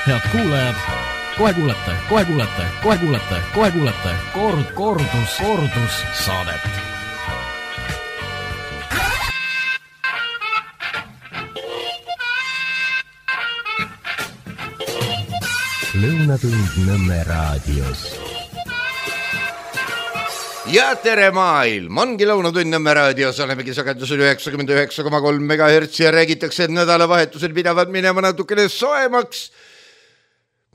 Head kuulajad, kohe kuulete kordus saadet. Lõunatund Nõmme raadios. Ja tere maailm, ongi Lõunatund Nõmme raadios, olemegi sagedusel 99,3 MHz ja räägitakse, et nädalavahetusel pidavad minema natukene soemaks,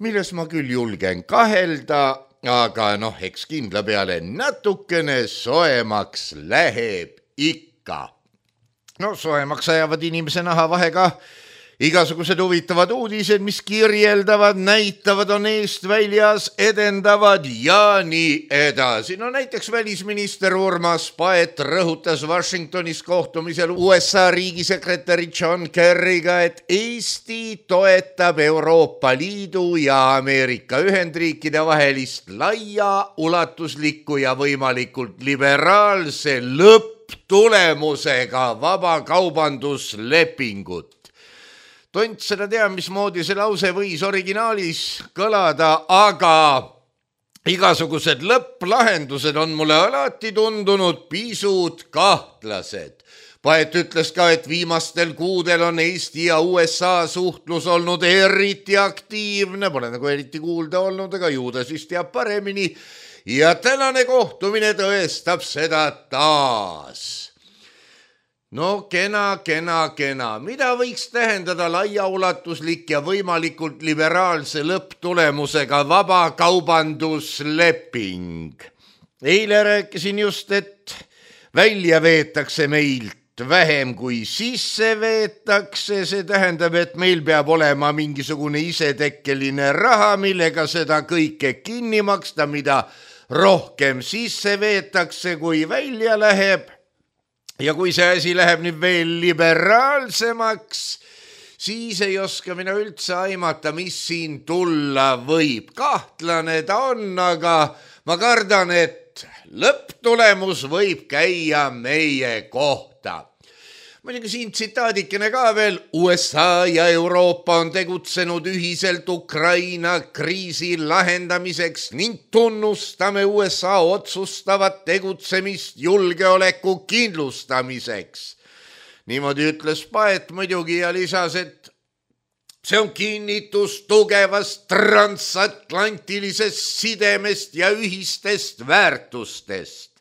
milles ma küll julgen kahelda, aga eks kindla peale natukene soemaks läheb ikka. Soemaks ajavad inimese naha vahega igasugused huvitavad uudised, mis kirjeldavad, näitavad, on eest väljas, edendavad ja nii edasi. Näiteks välisminister Urmas Paet rõhutas Washingtonis kohtumisel USA riigisekretäri John Kerryga, et Eesti toetab Euroopa Liidu ja Ameerika Ühendriikide vahelist laia, ulatuslikku ja võimalikult liberaalse lõpptulemusega vabakaubanduslepingut. Tont seda tea, mismoodi see lause võis originaalis kõlada, aga igasugused lõpplahendused on mulle alati tundunud pisut kahtlased. Paet ütles ka, et viimastel kuudel on Eesti ja USA suhtlus olnud eriti aktiivne, pole nagu eriti kuulda olnud, aga ju ta siis teab paremini. Ja tänane kohtumine tõestab seda taas. Kena. Mida võiks tähendada laiaulatuslik ja võimalikult liberaalse lõpptulemusega vabakaubandusleping? Eile rääkisin just, et välja veetakse meilt vähem kui sisse veetakse. See tähendab, et meil peab olema mingisugune isetekkeline raha, millega seda kõike kinni maksta, mida rohkem sisse veetakse, kui välja läheb. Ja kui see asi läheb nüüd veel liberaalsemaks, siis ei oska mina üldse aimata, mis siin tulla võib. Kahtlane ta on, aga ma kardan, et lõpptulemus võib käia meie kohta. Muidugi siin tsitaadikene ka veel. USA ja Euroopa on tegutsenud ühiselt Ukraina kriisi lahendamiseks ning tunnustame USA otsustavat tegutsemist julgeoleku kindlustamiseks. Niimoodi ütles Paet muidugi ja lisas, et see on kinnitus tugevast transatlantilisest sidemest ja ühistest väärtustest.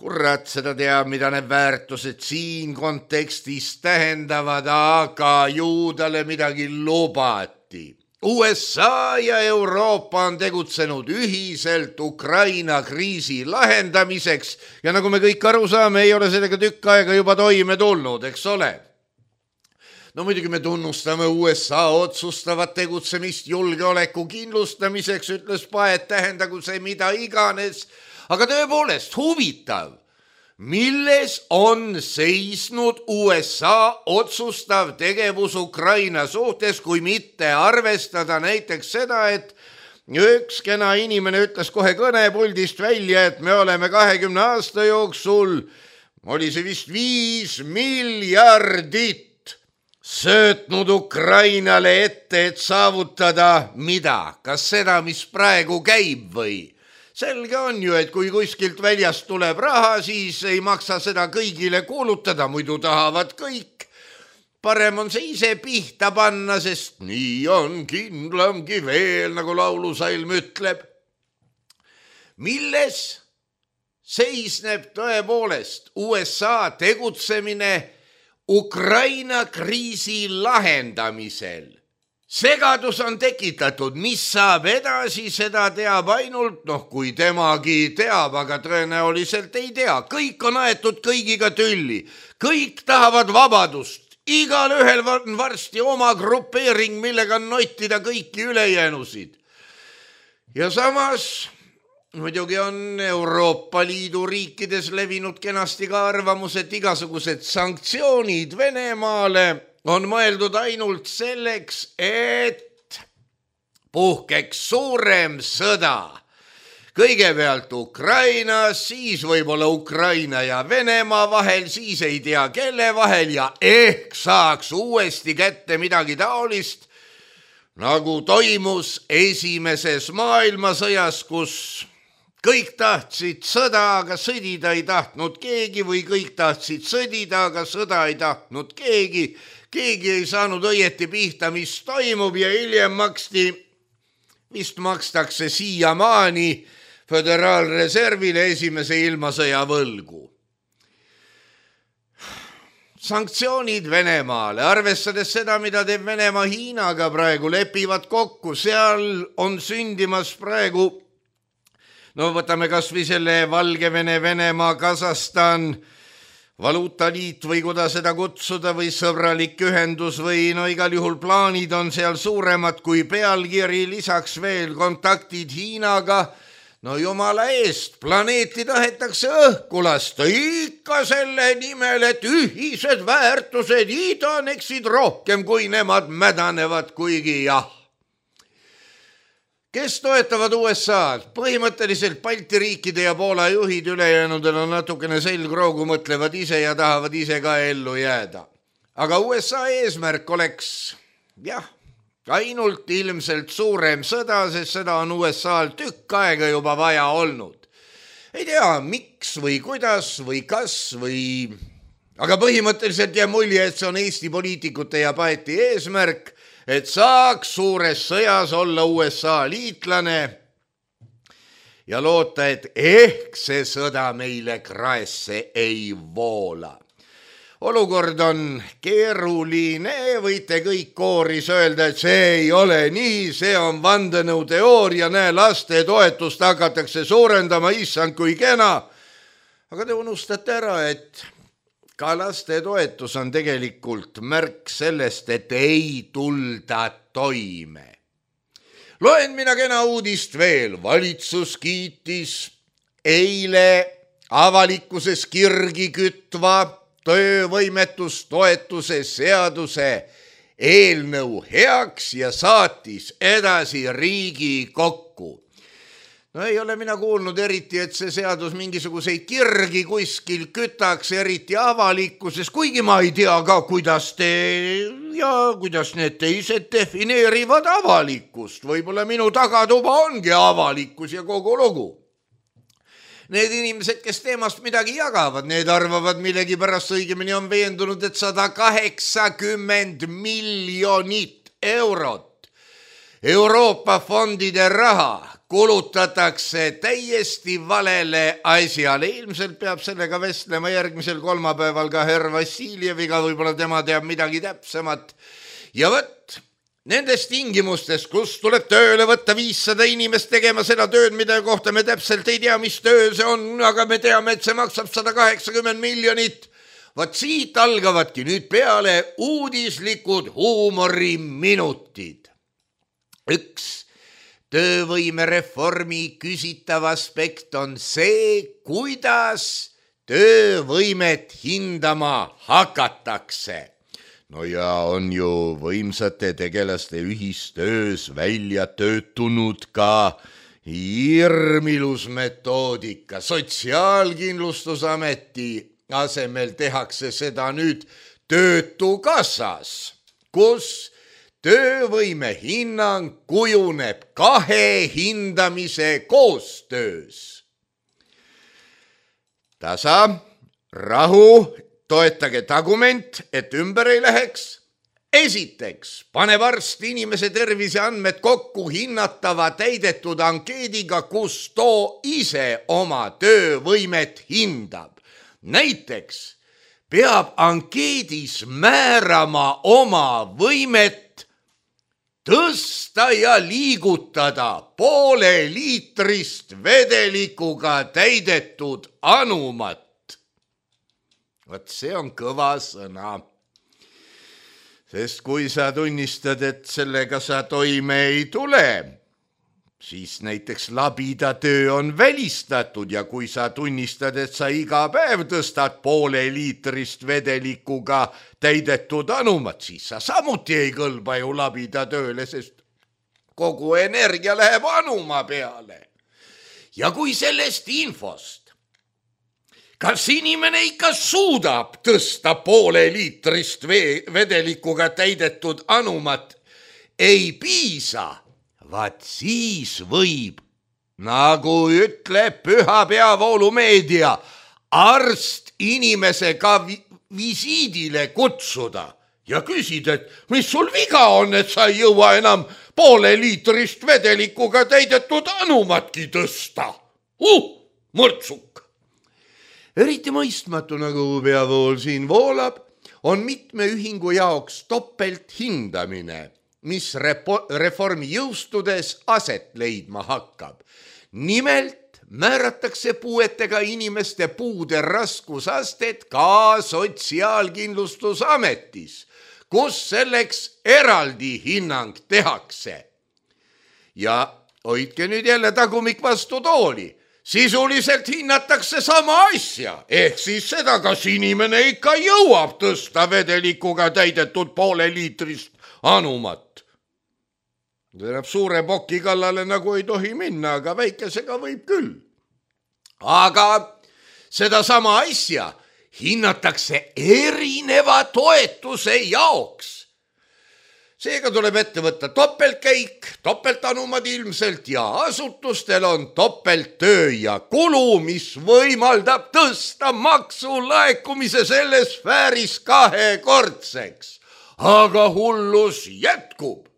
Kurat, seda teab, mida need väärtused siin kontekstis tähendavad, aga ju talle midagi lubati. USA ja Euroopa on tegutsenud ühiselt Ukraina kriisi lahendamiseks ja nagu me kõik aru saame, ei ole sellega tükk aega juba toime tulnud, eks ole? Muidugi me tunnustame USA otsustavat tegutsemist julgeoleku kindlustamiseks, ütles Paet, tähendagu see mida iganes. Aga tõepoolest huvitav, milles on seisnud USA otsustav tegevus Ukraina suhtes, kui mitte arvestada näiteks seda, et üks kena inimene ütles kohe kõnepuldist välja, et me oleme 20 aasta jooksul, oli see vist 5 miljardit söötnud Ukrainale ette, et saavutada mida? Kas seda, mis praegu käib või? Selge on ju, et kui kuskilt väljast tuleb raha, siis ei maksa seda kõigile kuulutada, muidu tahavad kõik. Parem on see ise pihta panna, sest nii on kindlamgi veel, nagu laulusalm ütleb. Milles seisneb tõepoolest USA tegutsemine Ukraina kriisi lahendamisel? Segadus on tekitatud, mis saab edasi, seda teab ainult, kui temagi teab, aga tõenäoliselt ei tea. Kõik on aetud kõigiga tülli, kõik tahavad vabadust, igal ühel on varsti oma grupeering, millega nottida kõiki ülejäänusid. Ja samas muidugi on Euroopa Liidu riikides levinud kenasti ka arvamus, et igasugused sanktsioonid Venemaale on mõeldud ainult selleks, et puhkeks suurem sõda. Kõigepealt Ukrainas, siis võib-olla Ukraina ja Venemaa vahel, siis ei tea kelle vahel ja ehk saaks uuesti kätte midagi taolist, nagu toimus esimeses maailmasõjas, kus kõik tahtsid sõda, aga sõdida ei tahtnud keegi või kõik tahtsid sõdida, aga sõda ei tahtnud keegi. Keegi ei saanud õieti pihta, mis toimub ja hiljem vist makstakse siiamaani Föderaalreservile esimese ilmasõja võlgu. Sanktsioonid Venemaale, arvestades seda, mida teeb Venemaa Hiinaga praegu, lepivad kokku, seal on sündimas praegu, võtame kas või selle Valgevene, Venemaa, Kasahstan, valuutaliit või kuidas seda kutsuda või sõbralik ühendus või igal juhul plaanid on seal suuremad kui pealkiri, lisaks veel kontaktid Hiinaga. Jumala eest, planeeti tahetakse õhku lasta ikka selle nimel, et ühised väärtused idaneksid rohkem, kui nemad mädanevad, kuigi jah. Kes toetavad USA-d? Põhimõtteliselt Balti riikide ja Poola juhid, ülejäänudel on natukene selgroogu, mõtlevad ise ja tahavad ise ka ellu jääda. Aga USA eesmärk oleks, ainult ilmselt suurem sõda, sest seda on USA-l tükk aega juba vaja olnud. Ei tea, miks või kuidas või kas või... Aga põhimõtteliselt jääb mulje, et see on Eesti poliitikute ja paeti eesmärk, et saaks suures sõjas olla USA liitlane ja loota, et ehk see sõda meile kraesse ei voola. Olukord on keeruline, võite kõik kooris öelda, et see ei ole nii, see on vandenõuteooria, laste toetust hakatakse suurendama, issand kui kena. Aga te unustate ära, et ka laste toetus on tegelikult märk sellest, et ei tulda toime. Loen mina kena uudist veel, valitsus kiitis eile avalikkuses kirgi kütva töövõimetustoetuse seaduse eelnõu heaks ja saatis edasi Riigikokku. Ei ole mina kuulnud eriti, et see seadus mingisuguseid kirgi kuskil kütaks, eriti avalikkuses, kuigi ma ei tea ka, kuidas need teised defineerivad avalikkust. Võib-olla minu tagatuba ongi avalikkus ja kogu lugu. Need inimesed, kes teemast midagi jagavad, need arvavad millegi pärast, õigemini on veendunud, et 180 miljonit eurot Euroopa fondide raha kulutatakse täiesti valele asjale. Ilmselt peab sellega vestlema järgmisel kolmapäeval ka herr Vassiljeviga, võib-olla tema teab midagi täpsemat. Ja nendes tingimustes, kus tuleb tööle võtta 500 inimest tegema seda tööd, mida kohta me täpselt ei tea, mis töö see on, aga me teame, et see maksab 180 miljonit. Siit algavadki nüüd peale uudislikud huumoriminutid. Üks töövõimereformi küsitav aspekt on see, kuidas töövõimet hindama hakatakse. On ju võimsate tegelaste ühistöös välja töötunud ka hirmilus metoodika. Sotsiaalkindlustusameti asemel tehakse seda nüüd Töötukassas, kus töövõime hinnang kujuneb 2 hindamise koostöös. Tasa, rahu, toetage tagument, et ümber ei läheks. Esiteks, pane varsti inimese terviseandmed kokku hinnatava täidetud ankeediga, kus too ise oma töövõimet hindab. Näiteks peab ankeedis määrama oma võimet tõsta ja liigutada 0,5 liitrist vedelikuga täidetud anumat. See on kõva sõna, sest kui sa tunnistad, et sellega sa toime ei tule, siis näiteks labidatöö on välistatud ja kui sa tunnistad, et sa iga päev tõstad 0,5 liitrist vedelikuga täidetud anumat, siis sa samuti ei kõlba ju labidatööle, sest kogu energia läheb anuma peale. Ja kui sellest infost kas inimene ikka suudab tõsta 0,5 liitrist vedelikuga täidetud anumat, ei piisa, vaat siis võib, nagu ütleb püha peavoolumeedia, arst inimese ka visiidile kutsuda ja küsida, et mis sul viga on, et sa ei jõua enam pooleliitrist vedelikuga täidetud anumatki tõsta. Mõrtsuk! Eriti mõistmatu, nagu peavool siin voolab, on mitme ühingu jaoks topelt hindamine, mis reformi jõustudes aset leidma hakkab. Nimelt määratakse puuetega inimeste puude raskusastet ka Sotsiaalkindlustusametis, kus selleks eraldi hinnang tehakse. Ja hoidke nüüd jälle tagumik vastu tooli. Sisuliselt hinnatakse sama asja, ehk siis seda, kas inimene ikka jõuab tõsta vedelikuga täidetud pooleliitrist anumat. Tähendab, suure poki kallale nagu ei tohi minna, aga väikesega võib küll. Aga seda sama asja hinnatakse erineva toetuse jaoks. Seega tuleb ette võtta topeltkäik, topeltanumad ilmselt ja asutustel on topelttöö ja kulu, mis võimaldab tõsta maksulaekumise selles sfääris 2-kordseks. Aga hullus jätkub.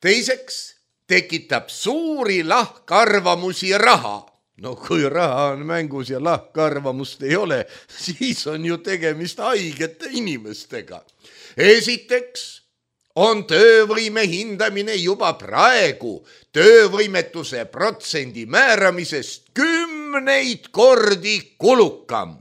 Teiseks tekitab suuri lahkarvamusi raha. No kui raha on mängus ja lahkarvamust ei ole, siis on ju tegemist haigete inimestega. Esiteks on töövõime hindamine juba praegu töövõimetuse protsendi määramisest 10 kordi kulukam.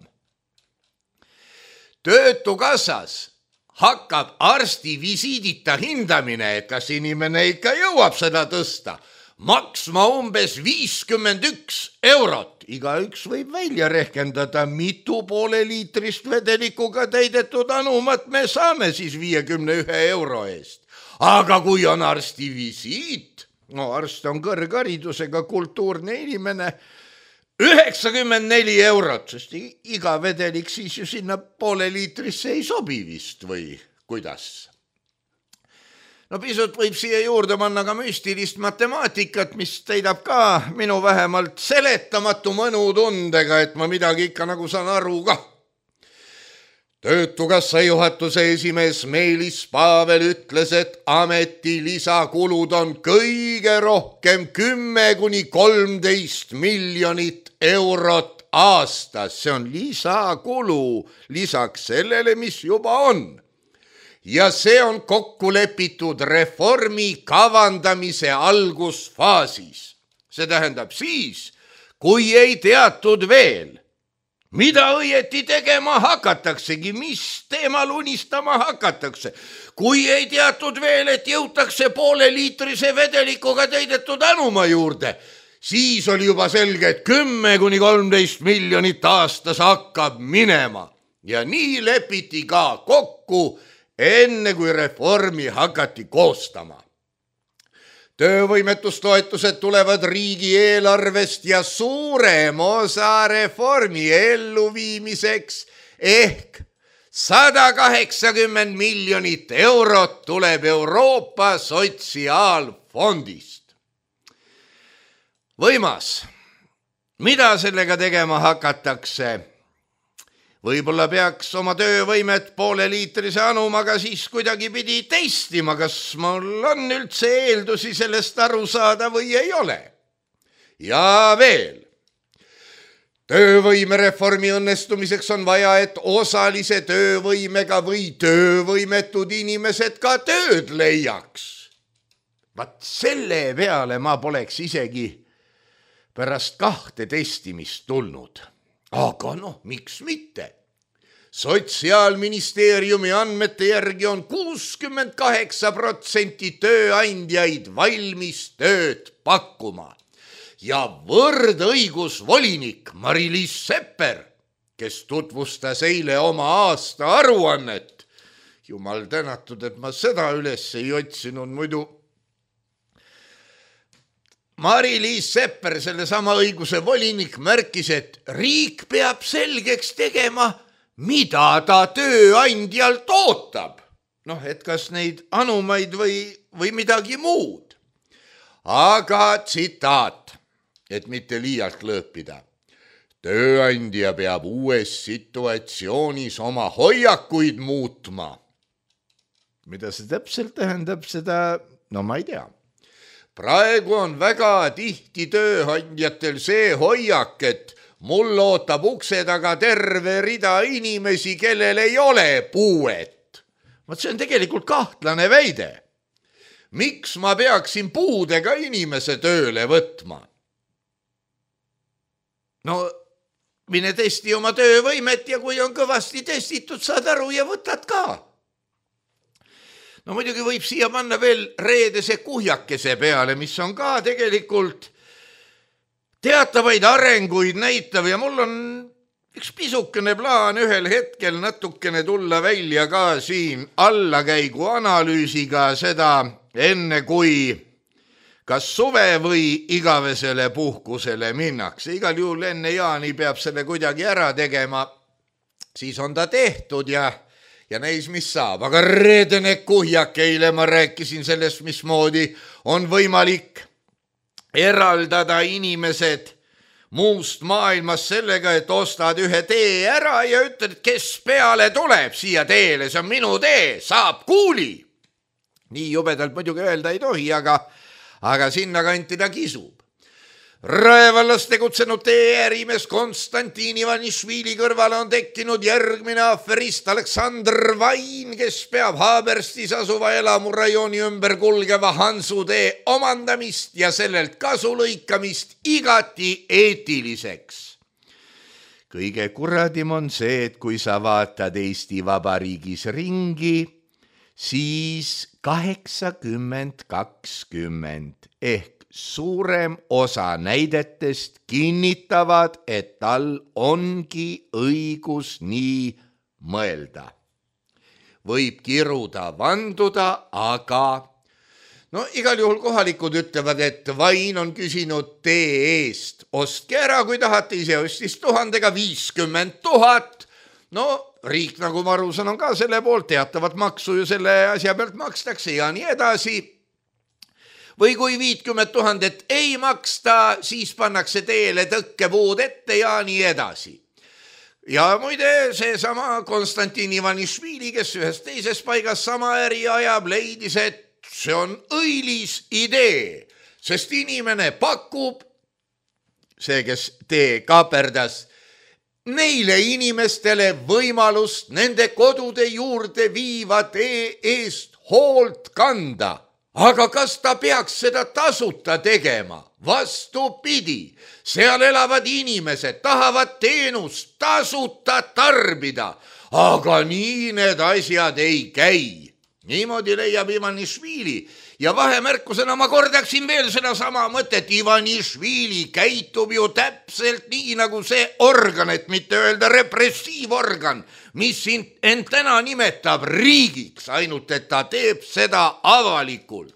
Töötukassas hakkab arsti visiidita hindamine, et kas inimene ikka jõuab seda tõsta, maksma umbes 51 eurot. Igaüks võib välja rehkendada, mitu pooleliitrist vedelikuga täidetud anumat me saame siis 51 euro eest. Aga kui on arsti visiit, no arst on kõrgharidusega kultuurne inimene, 94 eurot, sest iga vedelik siis ju sinna pooleliitrisse ei sobi vist või kuidas? No pisut võib siia juurde panna ka müstilist matemaatikat, mis teidab ka minu vähemalt seletamatu mõnutundega, et ma midagi ikka nagu saan aru ka. Töötukassa juhatuse esimees Meelis Pavel ütles, et ameti lisakulud on kõige rohkem 10–13 miljonit eurot aastas. See on lisakulu lisaks sellele, mis juba on. Ja see on kokku lepitud reformi kavandamise algusfaasis. See tähendab siis, kui ei teatud veel, mida õieti tegema hakataksegi, mis teemal unistama hakatakse. Kui ei teatud veel, et jõutakse pooleliitrise vedelikuga täidetud anuma juurde, siis oli juba selge, et 10–13 miljonit aastas hakkab minema. Ja nii lepiti ka kokku, enne kui reformi hakati koostama. Töövõimetustoetused tulevad riigieelarvest ja suurem osa reformi elluviimiseks ehk 180 miljonit eurot tuleb Euroopa Sotsiaalfondist. Võimas, mida sellega tegema hakatakse? Võib-olla peaks oma töövõimet pooleliitrise anumaga siis kuidagi pidi testima, kas mul on üldse eeldusi sellest aru saada või ei ole. Ja veel, töövõimereformi õnnestumiseks on vaja, et osalise töövõimega või töövõimetud inimesed ka tööd leiaks. Vaat selle peale ma poleks isegi pärast 2 testimist tulnud. Aga miks mitte? Sotsiaalministeeriumi andmete järgi on 68% tööandjaid valmis tööd pakkuma. Ja võrdõigusvolinik Mari-Liis Sepper, kes tutvustas eile oma aasta aruannet, jumal tänatud, et ma seda üles ei otsinud, muidu Mari-Liis Sepper, sellesama õiguse volinik, märkis, et riik peab selgeks tegema, mida ta tööandjalt ootab. noh, et kas neid anumaid või midagi muud. Aga tsitaat, et mitte liialt lõõpida. Tööandja peab uues situatsioonis oma hoiakuid muutma. Mida see täpselt tähendab, seda, no ma ei tea. Praegu on väga tihti tööandjatel see hoiak, et mul ootab ukse taga terve rida inimesi, kellel ei ole puuet. Vaat see on tegelikult kahtlane väide. Miks ma peaksin puudega inimese tööle võtma? No, mine testi oma töövõimet ja kui on kõvasti testitud, saad aru ja võtad ka. No muidugi võib siia panna veel reedese kuhjakese peale, mis on ka tegelikult teatavaid arenguid näitav ja mul on üks pisukene plaan ühel hetkel natukene tulla välja ka siin allakäigu analüüsiga seda enne kui kas suve või igavesele puhkusele minnakse. Igal juhul enne jaani peab selle kuidagi ära tegema, siis on ta tehtud ja näis, mis saab. Aga reedene kuhjak, eile ma rääkisin sellest, mismoodi on võimalik eraldada inimesed muust maailmast sellega, et ostad ühe tee ära ja ütled, kes peale tuleb siia teele, see on minu tee, saab kuuli. Nii jubedalt muidugi öelda ei tohi, aga sinna kanti ta kisub. Raevallas tegutsenud tee-ärimees Konstantin Ivanišvili kõrvale on tekkinud järgmine aferist Aleksandr Vain, kes peab Haaberstis asuva elamurajooni ümber kulgeva Hansutee omandamist ja sellelt kasu lõikamist igati eetiliseks. Kõige kuradim on see, et kui sa vaatad Eesti Vabariigis ringi, siis 80-20 ehk suurem osa näidetest kinnitavad, et tal ongi õigus nii mõelda. Võib kiruda, vanduda, aga no igal juhul kohalikud ütlevad, et Vain on küsinud tee eest. Ostke ära, kui tahate, ise ostis 1000-ga 50 000. No riik, nagu ma aru saan, on ka selle poolt, teatavat maksu ju selle asja pealt makstakse ja nii edasi. Või kui 50 000 ei maksta, siis pannakse teele tõkkepuud ette ja nii edasi. Ja muide, seesama Konstantin Ivanišvili, kes ühes teises paigas sama äri ajab, leidis, et see on õilis idee, sest inimene pakub, see, kes tee kaaperdas, neile inimestele võimalust nende kodude juurde viiva tee eest hoolt kanda. Aga kas ta peaks seda tasuta tegema? Vastupidi, seal elavad inimesed, tahavad teenust tasuta tarbida, aga nii need asjad ei käi. Niimoodi leiab Ivanišvili ja vahemärkusena ma kordaksin veel sedasama mõtet. Ivanišvili käitub ju täpselt nii nagu see organ, et mitte öelda repressiivorgan, mis end täna nimetab riigiks, ainult et ta teeb seda avalikult.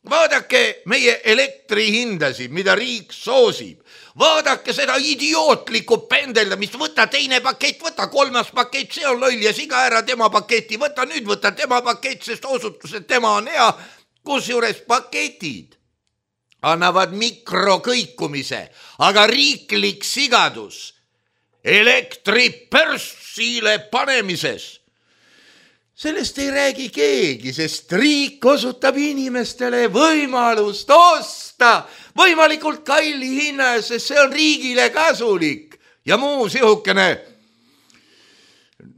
Vaadake meie elektrihindasid, mida riik soosib. Vaadake seda idiootlikku pendeldamist, võta teine pakett, võta kolmas pakett, see on loll ja siga ära tema paketi, võta tema pakett, sest osutus, et tema on hea, kusjuures paketid annavad mikrokõikumise, aga riiklik sigadus elektri pörsile panemises. Sellest ei räägi keegi, sest riik osutab inimestele võimalust osta võimalikult kalli hinna, sest see on riigile kasulik ja muu sihukene.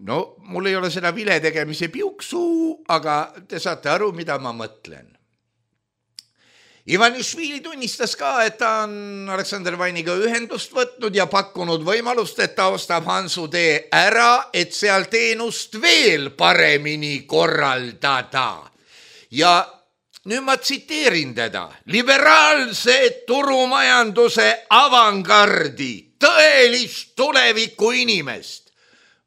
No, mul ei ole seda vile tegemise piuksu, aga te saate aru, mida ma mõtlen. Ivanišvili tunnistas ka, et ta on Aleksandr Vainiga ühendust võtnud ja pakkunud võimalust, et ta ostab Hansutee ära, et seal teenust veel paremini korraldada. Ja nüüd ma tsiteerin teda. Liberaalse turumajanduse avangardi, tõelist tuleviku inimest.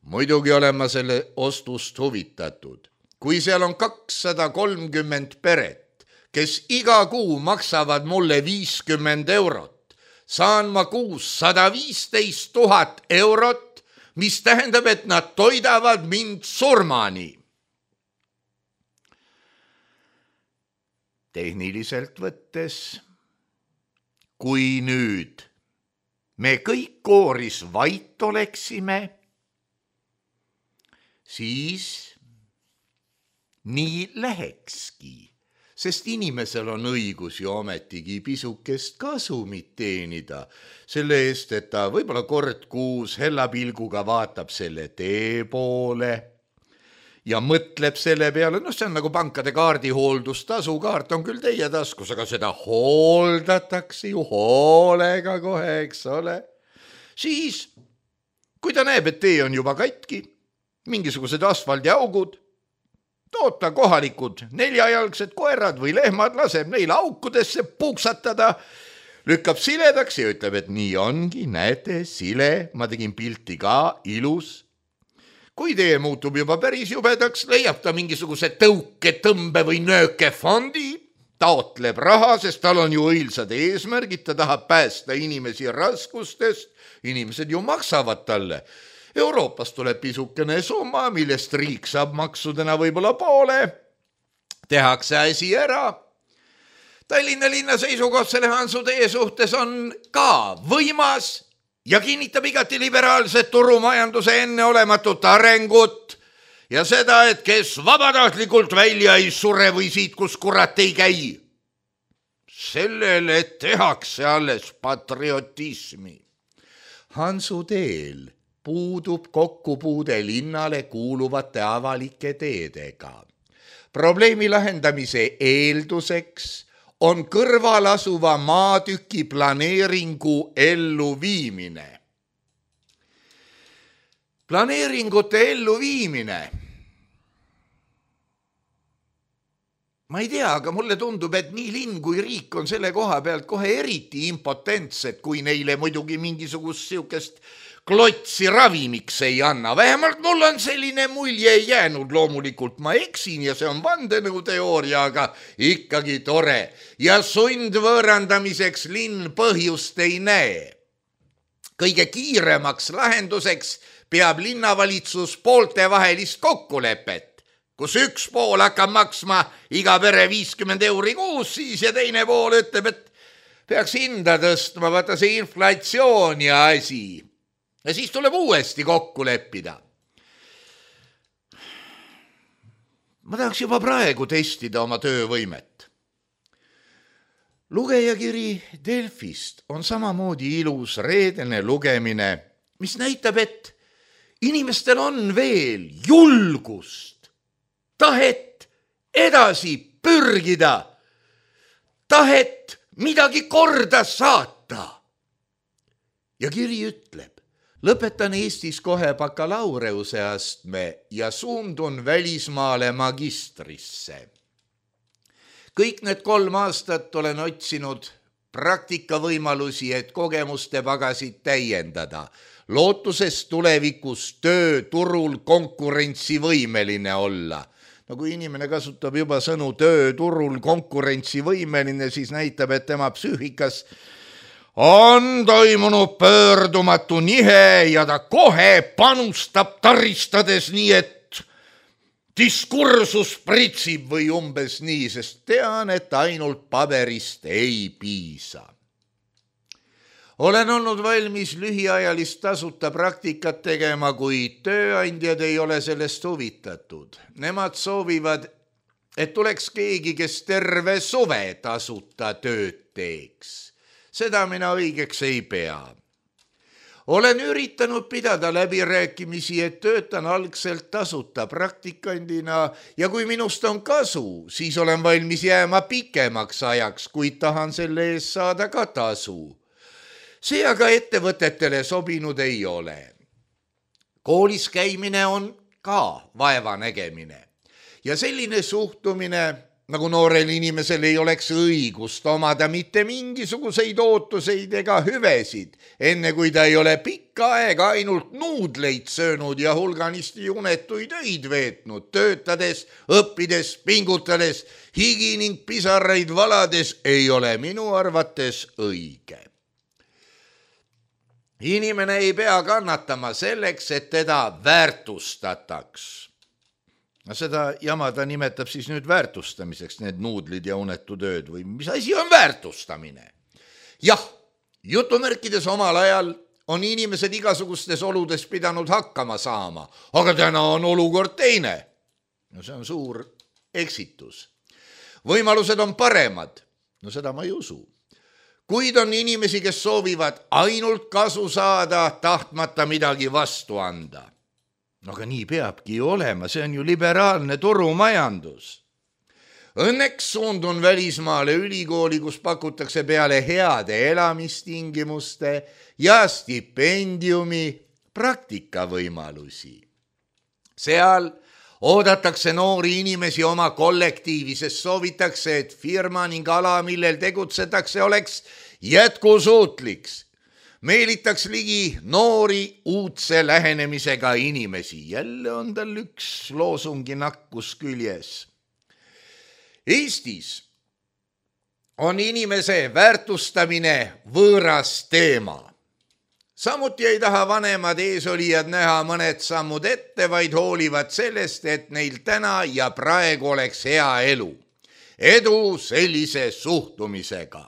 Muidugi olen ma selle ostust huvitatud. Kui seal on 230 peret, kes iga kuu maksavad mulle 50 eurot, saan ma kuus 115 000 eurot, mis tähendab, et nad toidavad mind surmani. tehniliselt võttes, kui nüüd me kõik kooris vait oleksime, siis nii lähekski, sest inimesel on õigus ju ometigi pisukest kasumit teenida selle eest, et ta võib-olla kord kuus hella pilguga vaatab selle tee poole ja mõtleb selle peale, see on nagu pankade kaardihooldus-tasu, kaart on küll teie taskus, aga seda hooldatakse ju hoolega kohe, eks ole. Siis, kui ta näeb, et tee on juba katki, mingisugused asfaldiaugud, toota kohalikud 4-jalgsed koerad või lehmad, laseb neil aukudesse puksatada, lükkab siledaks ja ütleb, et nii ongi, näete, sile, ma tegin pilti ka, ilus. Kui tee muutub juba päris jubedaks, leiab ta mingisuguse tõuke, tõmbe või nööke fondi, taotleb raha, sest tal on ju õilsad eesmärgid, ta tahab päästa inimesi raskustest, inimesed ju maksavad talle. Euroopas tuleb pisukene summa, millest riik saab maksudena võib-olla poole, tehakse asi ära. Tallinna linna seisukoht selle Hansutee suhtes on ka võimas ja kinnitab igati liberaalset turumajanduse enneolematut arengut ja seda, et kes vabatahtlikult välja ei sure või siit, kus kurat ei käi. Sellele tehakse alles patriotismi. Hansuteel puudub kokkupuude linnale kuuluvate avalike teedega. Probleemi lahendamise eelduseks on kõrval asuva maatüki planeeringu elluviimine. Planeeringute elluviimine. Ma ei tea, aga mulle tundub, et nii linn kui riik on selle koha pealt kohe eriti impotentsed, kui neile muidugi mingisugust siukest klotsi ravimiks ei anna. Vähemalt mul on selline mulje jäänud, loomulikult ma eksin ja see on vandenõuteooria, aga ikkagi tore. Ja sundvõõrandamiseks linn põhjust ei näe. Kõige kiiremaks lahenduseks peab linnavalitsus pooltevahelist kokkulepet, kus üks pool hakkab maksma iga pere 50 € kuus siis ja teine pool ütleb, et peaks hinda tõstma, vaata see inflatsioon ja asi. Ja siis tuleb uuesti kokku leppida. Ma tahaks juba praegu testida oma töövõimet. Lugejakiri Delfist on samamoodi ilus reedene lugemine, mis näitab, et inimestel on veel julgust, tahet edasi pürgida, tahet midagi korda saata. Ja kiri ütleb, lõpetan Eestis kohe bakalaureuse astme ja suundun välismaale magistrisse. Kõik need 3 aastat olen otsinud praktikavõimalusi, et kogemuste pagasid täiendada, lootuses tulevikus tööturul konkurentsivõimeline olla. No kui inimene kasutab juba sõnu tööturul konkurentsivõimeline, siis näitab, et tema psüühikas on toimunud pöördumatu nihe ja ta kohe panustab taristades nii, et diskursus pritsib või umbes nii, sest tean, et ainult paberist ei piisa. Olen olnud valmis lühiajalist tasuta praktikat tegema, kuid tööandjad ei ole sellest huvitatud. Nemad soovivad, et tuleks keegi, kes terve suve tasuta tööd teeks. Seda mina õigeks ei pea. Olen üritanud pidada läbirääkimisi, et töötan algselt tasuta praktikandina ja kui minust on kasu, siis olen valmis jääma pikemaks ajaks, kuid tahan selle eest saada ka tasu. See aga ettevõtetele sobinud ei ole. Koolis käimine on ka vaevanägemine ja selline suhtumine, nagu noorel inimesel ei oleks õigust omada mitte mingisuguseid ootuseid ega hüvesid, enne kui ta ei ole pikka aega ainult nuudleid söönud ja hulganisti unetuid öid veetnud, töötades, õppides, pingutades, higi ning pisaraid valades ei ole minu arvates õige. Inimene ei pea kannatama selleks, et teda väärtustataks. No seda jama ta nimetab siis nüüd väärtustamiseks, need nuudlid ja unetutööd või mis asi on väärtustamine? Jah, jutumärkides omal ajal on inimesed igasugustes oludes pidanud hakkama saama, aga täna on olukord teine. No see on suur eksitus. Võimalused on paremad, no seda ma ei usu. Kuid on inimesi, kes soovivad ainult kasu saada, tahtmata midagi vastu anda. No aga nii peabki ju olema, see on ju liberaalne turumajandus. Õnneks suundun välismaale ülikooli, kus pakutakse peale heade elamistingimuste ja stipendiumi praktikavõimalusi. Seal oodatakse noori inimesi oma kollektiivi, sest soovitakse, et firma ning ala, millel tegutsetakse, oleks jätkusuutliks. Meelitaks ligi noori uudse lähenemisega inimesi. Jälle on tal üks loosungi nakkus küljes. Eestis on inimese väärtustamine võõras teema. Samuti ei taha vanemad eesolijad näha mõned sammud ette, vaid hoolivad sellest, et neil täna ja praegu oleks hea elu. Edu sellise suhtumisega.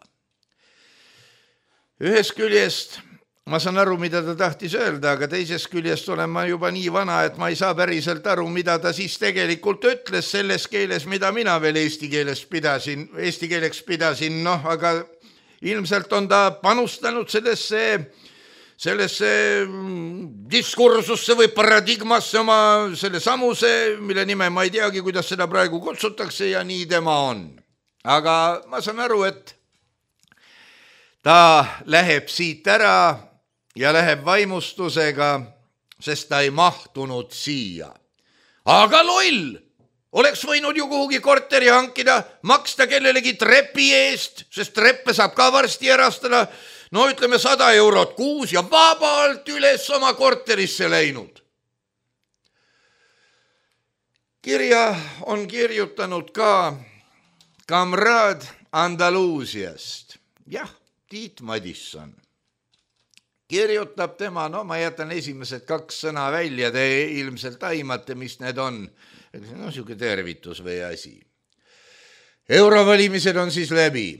Ühest küljest ma saan aru, mida ta tahtis öelda, aga teisest küljest olen ma juba nii vana, et ma ei saa päriselt aru, mida ta siis tegelikult ütles selles keeles, mida mina veel eesti keeleks pidasin, aga ilmselt on ta panustanud sellesse diskursusse või paradigmasse oma selle samuse, mille nime ma ei teagi, kuidas seda praegu kutsutakse ja nii tema on. Aga ma saan aru, et ta läheb siit ära ja läheb vaimustusega, sest ta ei mahtunud siia. Aga loll! Oleks võinud ju kuhugi korteri hankida, maksta kellelegi trepi eest, sest treppe saab ka varsti erastada, no ütleme 100 eurot kuus ja vabalt üles oma korterisse läinud. Kirja on kirjutanud ka kamraad Andaluusiast. Jah, Tiit Madisson. Kirjutab tema, ma jätan esimesed 2 sõna välja, te ilmselt aimate, mis need on. No siuke tervitus või asi. Eurovalimised on siis läbi.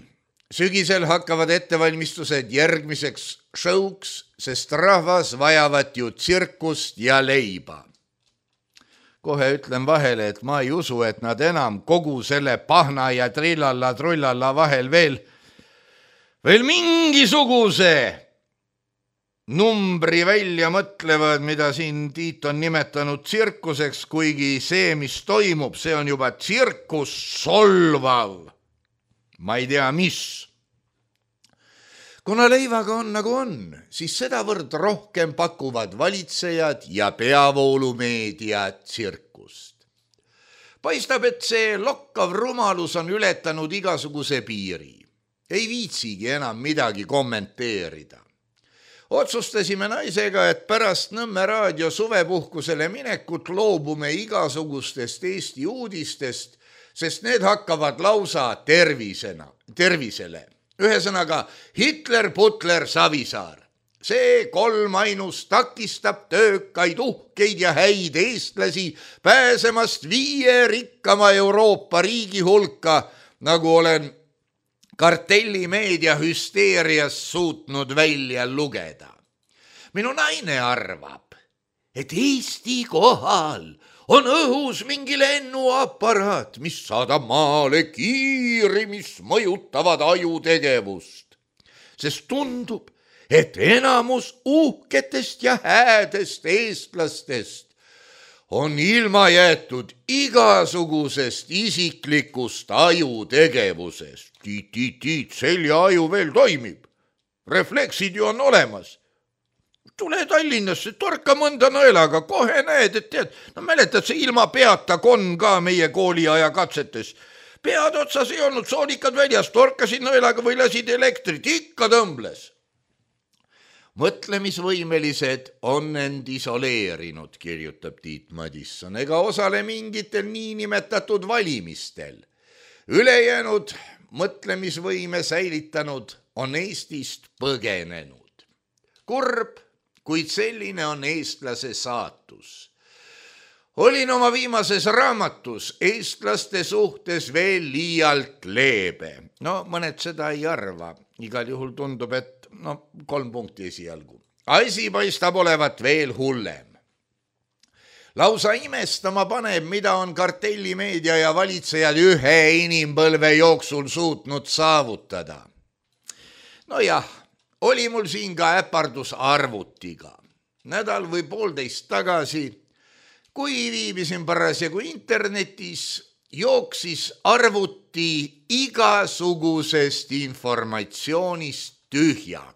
Sügisel hakkavad ettevalmistused järgmiseks showks, sest rahvas vajavat ju tsirkust ja leiba. Kohe ütlen vahele, et ma ei usu, et nad enam kogu selle pahna ja trillalla vahel veel mingisuguse numbri välja mõtlevad, mida siin Tiit on nimetanud tsirkuseks, kuigi see, mis toimub, see on juba tsirkus solvav. Ma ei tea, mis. Kuna leivaga on nagu on, siis sedavõrd rohkem pakuvad valitsejad ja peavoolumeedia tsirkust. Paistab, et see lokkav rumalus on ületanud igasuguse piiri. Ei viitsigi enam midagi kommenteerida. Otsustasime naisega, et pärast Nõmme raadio suvepuhkusele minekut loobume igasugustest Eesti uudistest, sest need hakkavad lausa tervisele. Ühesõnaga Hitler, Putler, Savisaar. See 3 ainus takistab töökaid, uhkeid ja häid eestlasi pääsemast 5 rikkama Euroopa riigi hulka, nagu olen kartellimeedia hüsteerias suutnud välja lugeda. Minu naine arvab, et Eesti kohal on õhus mingi lennuaparaat, mis saadab maale kiiri, mis mõjutavad ajutegevust. Sest tundub, et enamus uhketest ja häädest eestlastest on ilma jäetud igasugusest isiklikust ajutegevusest. Tiit, seljaaju veel toimib. Refleksid ju on olemas. Tule Tallinnasse, torka mõnda nõelaga, kohe näed, et tead, mäletad see ilma peata konn ka meie kooliaja katsetes. Pead otsas ei olnud, soolikad väljas, torkasid nõelaga või lasid elektrit, ikka tõmbles. Mõtlemisvõimelised on end isoleerinud, kirjutab Tiit Madisson, ega osale mingitel niinimetatud valimistel. Ülejäänud mõtlemisvõime säilitanud on Eestist põgenenud. Kurb, kuid selline on eestlase saatus. olin oma viimases raamatus eestlaste suhtes veel liialt leebe. No mõned seda ei arva. Igal juhul tundub, et 3 punkti esialgu. Asi paistab olevat veel hullem. Lausa imestama paneb, mida on kartellimeedia ja valitsejad ühe inimpõlve jooksul suutnud saavutada. No jah, oli mul siin ka äpardus arvutiga. Nädal või 1,5 tagasi, kui viibisin parasjagu internetis, jooksis arvuti igasugusest informatsioonist tühjaks.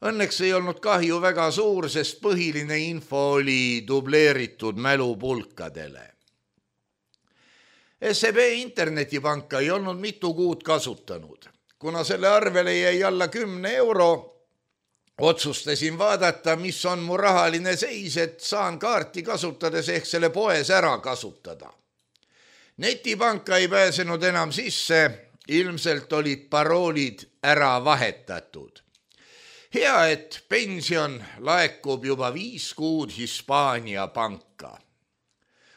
Õnneks ei olnud kahju väga suur, sest põhiline info oli dubleeritud mälupulkadele. SEB internetipanka ei olnud mitu kuud kasutanud. Kuna selle arvele jäi alla 10 euro, otsustasin vaadata, mis on mu rahaline seis, et saan kaarti kasutades ehk selle poes ära kasutada. Netipanka ei pääsenud enam sisse, ilmselt olid paroolid ära vahetatud. Hea, et pension laekub juba 5 kuud Hispaania panka.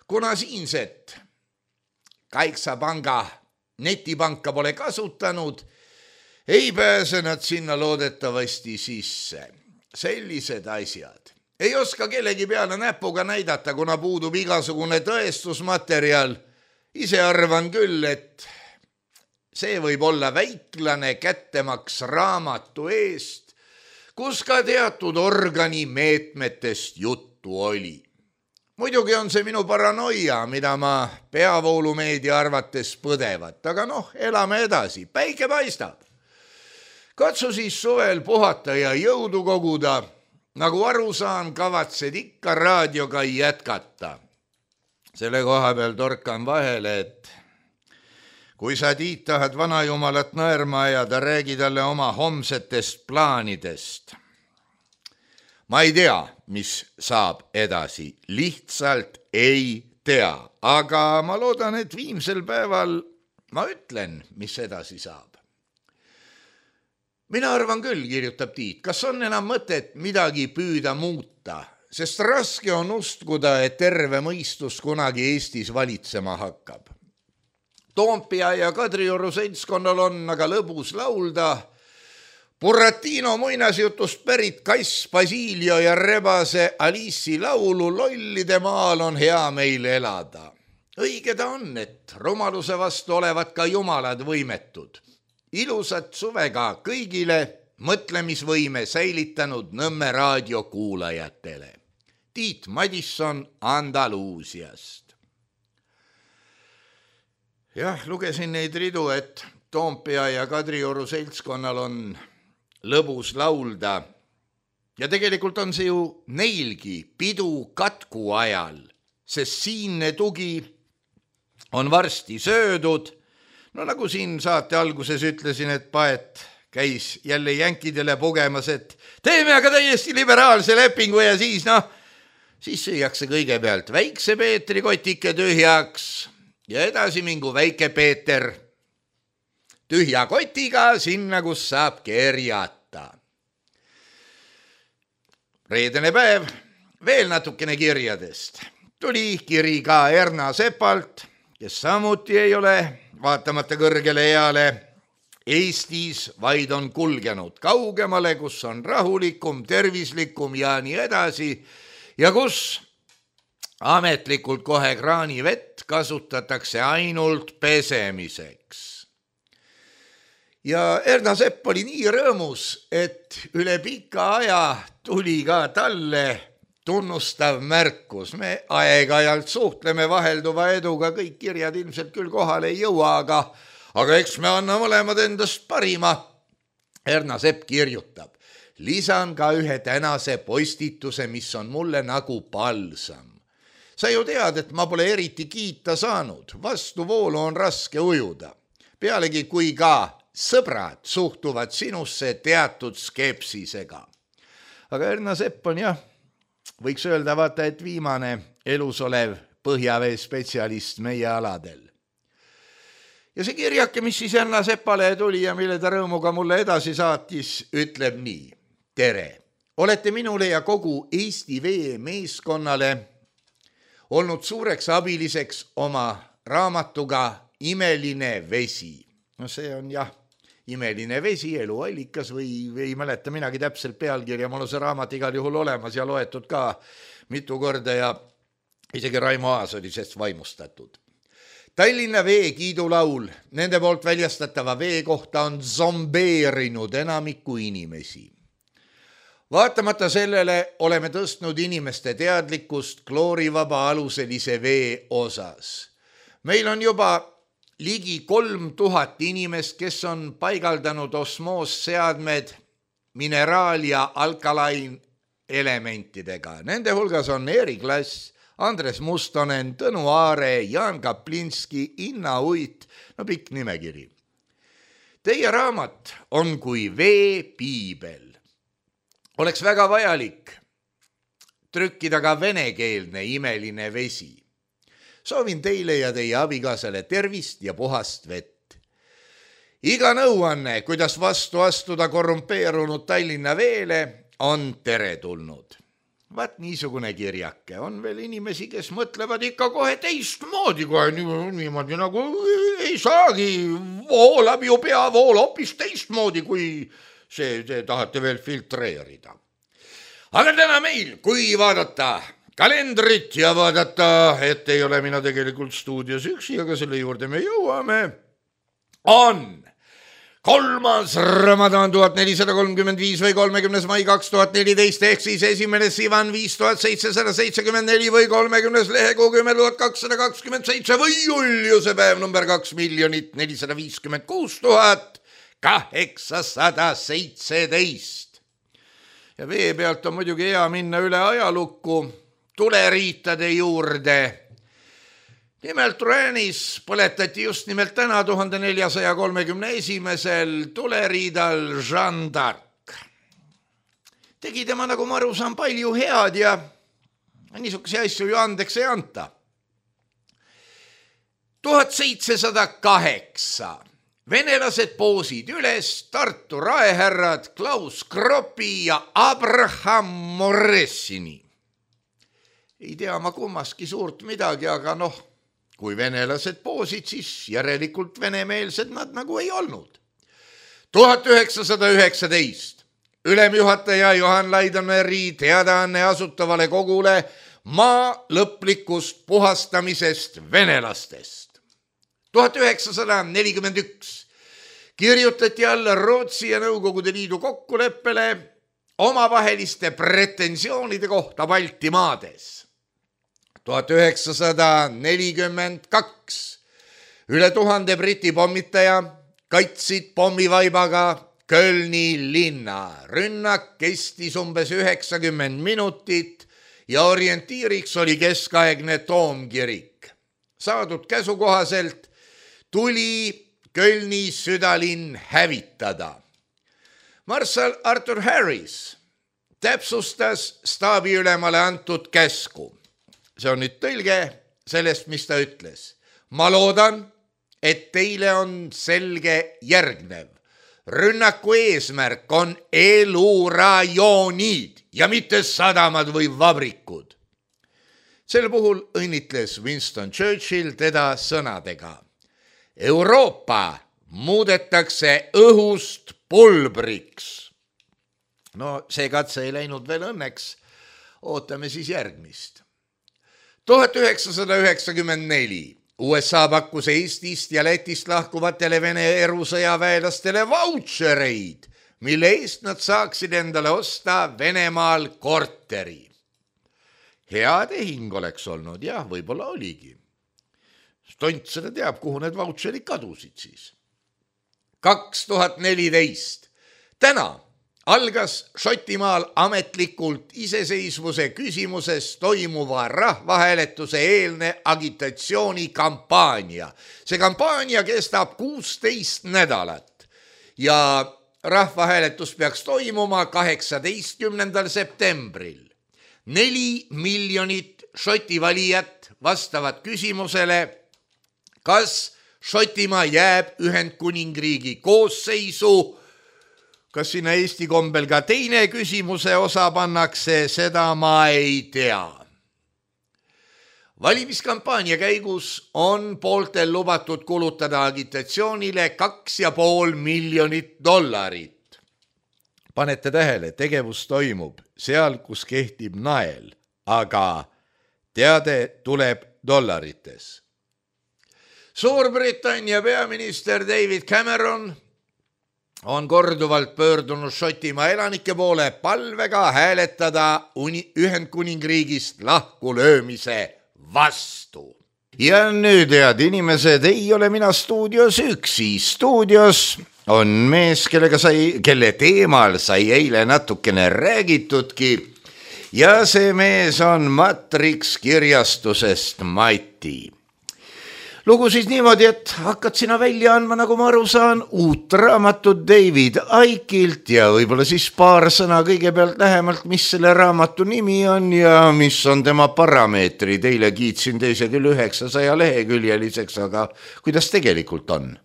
Kuna siinset Kaiksa panga netipanka pole kasutanud, ei pääse nad sinna loodetavasti sisse. Sellised asjad. Ei oska kellegi peale näpuga näidata, kuna puudub igasugune tõestusmaterjal. Ise arvan küll, et see võib olla väiklane kättemaks raamatu eest, kus ka teatud organi meetmetest juttu oli. Muidugi on see minu paranoia, mida ma peavoolumeedia arvates põdevat, aga elame edasi, päike paistab. Katsu siis suvel puhata ja jõudu koguda, nagu aru saan, kavatsed ikka raadioga jätkata. Selle koha peal torkan vahele, et kui sa, Tiit, tahad vanajumalat naerma ajada, räägi talle oma homsetest plaanidest. Ma ei tea, mis saab edasi, lihtsalt ei tea, aga ma loodan, et viimsel päeval ma ütlen, mis edasi saab. Mina arvan küll, kirjutab Tiit, kas on enam mõtet midagi püüda muuta, sest raske on uskuda, et terve mõistus kunagi Eestis valitsema hakkab. Toompea ja Kadrioru seltskonnal on aga lõbus laulda. Buratino muinasjutust pärit Kass Basilio ja rebase Aliisi laulu Lollide maal on hea meil elada. Õige ta on, et rumaluse vastu olevat ka jumalad võimetud. Ilusat suvega kõigile mõtlemisvõime säilitanud Nõmme raadio kuulajatele. Tiit Madisson Andaluusiast. Jah, lugesin neid ridu, et Toompea ja Kadrioru seltskonnal on lõbus laulda. Ja tegelikult on see ju neilgi pidu katku ajal, sest siinne tugi on varsti söödud. No nagu siin saate alguses ütlesin, et Paet käis jälle jänkidele pugemas, et teeme aga täiesti liberaalse lepingu ja siis süüakse kõigepealt väikse Peetri kotike tühjaks ja edasi mingu väike Peeter tühja kotiga sinna, kus saab kerjata. Reedene päev, veel natukene kirjadest. Tuli kiri ka Erna Sepalt, kes samuti ei ole, vaatamata kõrgele eale, Eestis vaid on kulgenud kaugemale, kus on rahulikum, tervislikum ja nii edasi ja kus ametlikult kohe kraanivett kasutatakse ainult pesemiseks. Ja Erna Sepp oli nii rõõmus, et üle pika aja tuli ka talle tunnustav märkus. Me aeg-ajalt suhtleme vahelduva eduga, kõik kirjad ilmselt küll kohale ei jõua, aga eks me anna mõlemad endast parima. Erna Sepp kirjutab, lisan ka ühe tänase postituse, mis on mulle nagu palsam. Sa ju tead, et ma pole eriti kiita saanud, vastuvoolu on raske ujuda. Pealegi kui ka sõbrad suhtuvad sinusse teatud skepsisega. Aga Erna Sepp on võiks öelda vaata, et viimane elus olev põhjavee spetsialist meie aladel. Ja see kirjake, mis siis Erna Seppale tuli ja mille ta rõõmuga mulle edasi saatis, ütleb nii. Tere! Olete minule ja kogu Eesti Vee meeskonnale olnud suureks abiliseks oma raamatuga Imeline vesi. No see on jah, Imeline vesi, eluallikas või ei mäleta minagi täpselt pealkirja, mul on see raamat igal juhul olemas ja loetud ka mitu korda ja isegi Raimo Aas oli sellest vaimustatud. Tallinna Vee kiidulaul nende poolt väljastatava vee kohta on zombeerinud enamikku inimesi. Vaatamata sellele oleme tõstnud inimeste teadlikkust kloorivaba aluselise vee osas. Meil on juba ligi 3000 inimest, kes on paigaldanud osmoosseadmed mineraal- ja alkalain elementidega. Nende hulgas on Erik Lass, Andres Mustonen, Tõnu Aare, Jaan Kaplinski, Inna Uit, no pikk nimekiri. Teie raamat on kui veepiibel. Oleks väga vajalik trükkida ka venekeelne Imeline vesi. Soovin teile ja teie abikaasale tervist ja puhast vett. Iga nõuanne, kuidas vastu astuda korrumpeerunud Tallinna veele, on teretulnud. Vaat niisugune kirjake. On veel inimesi, kes mõtlevad ikka kohe teistmoodi, kohe niimoodi nagu ei saagi, voolab ju peavool hoopis teistmoodi, kui see tahate veel filtreerida. Aga täna meil, kui vaadata kalendrit ja vaadata, et ei ole mina tegelikult stuudios üksi, aga selle juurde me jõuame, on 3. Ramadan 1435 või 30. mai 2014 ehk siis 1. Sivan 5774 või 30. lehekuu 10.227 või Juliuse päev number 2,456,817. Ja vee pealt on muidugi hea minna üle ajalukku tuleriitade juurde. Nimelt Rennes põletati just nimelt täna 1431. tuleriidal Jeanne d'Arc. Tegi tema, nagu ma aru saan, palju head ja niisuguse asju ju andeks ei anta. 1708 venelased poosid üles Tartu raehärrad Klaus Kroppi ja Abraham Moressini. Ei tea ma kummaski suurt midagi, aga noh, kui venelased poosid, siis järelikult venemeelsed nad nagu ei olnud. 1919 ülemjuhataja Johan Laidoneeri teadaanne asutavale kogule maa lõplikust puhastamisest venelastest. 1941 kirjutati alla Rootsi ja Nõukogude Liidu kokkuleppele omavaheliste pretensioonide kohta Baltimaades. 1942 üle 1000 Briti pommitaja kaitsid pommivaibaga Kölni linna. Rünnak kestis umbes 90 minutit ja orientiiriks oli keskaegne toomkirik. Saadud käsu kohaselt tuli Kölni südalinn hävitada. Marshal Arthur Harris täpsustas staabiülemale antud käsku. See on nüüd tõlge sellest, mis ta ütles. Ma loodan, et teile on selge järgnev. Rünnaku eesmärk on elurajoonid ja mitte sadamad või vabrikud. Sel puhul õnnitles Winston Churchill teda sõnadega. Euroopa muudetakse õhust pulbriks. No see katse ei läinud veel õnneks. Ootame siis järgmist. 1994 USA pakkus Eestist ja Lätist lahkuvatele Vene erusõjaväelastele vautšereid, mille eest nad saaksid endale osta Venemaal korteri. Hea tehing oleks olnud, jah, võib-olla oligi. Stont seda teab, kuhu need vautšerid kadusid siis. 2014. Täna algas Šotimaal ametlikult iseseisvuse küsimuses toimuva rahvahääletuse eelne agitatsioonikampaania. See kampaania kestab 16 nädalat ja rahvahääletus peaks toimuma 18. septembril. 4 miljonit Šoti valijat vastavad küsimusele, kas Šotimaa jääb Ühendkuningriigi koosseisu. Kas sinna Eesti kombel ka teine küsimuse osa pannakse, seda ma ei tea. valimiskampaania käigus on pooltel lubatud kulutada agitatsioonile $2,5 miljonit. Panete tähele, tegevus toimub seal, kus kehtib nael, aga teade tuleb dollarites. Suurbritannia peaminister David Cameron on korduvalt pöördunud Šotimaa elanike poole palvega hääletada Ühendkuningriigist lahkulöömise vastu. Ja nüüd, head inimesed, ei ole mina stuudios üksi. Stuudios on mees, kelle teemal sai eile natukene räägitudki. Ja see mees on Matrix kirjastusest Mati. Lugu siis niimoodi, et hakkad sina välja andma, nagu ma aru saan, uut raamatut David Icke'ilt ja võib-olla siis paar sõna kõigepealt lähemalt, mis selle raamatu nimi on ja mis on tema parameetrid. Eile kiitsin teise küll 900 leheküljeliseks, aga kuidas tegelikult on?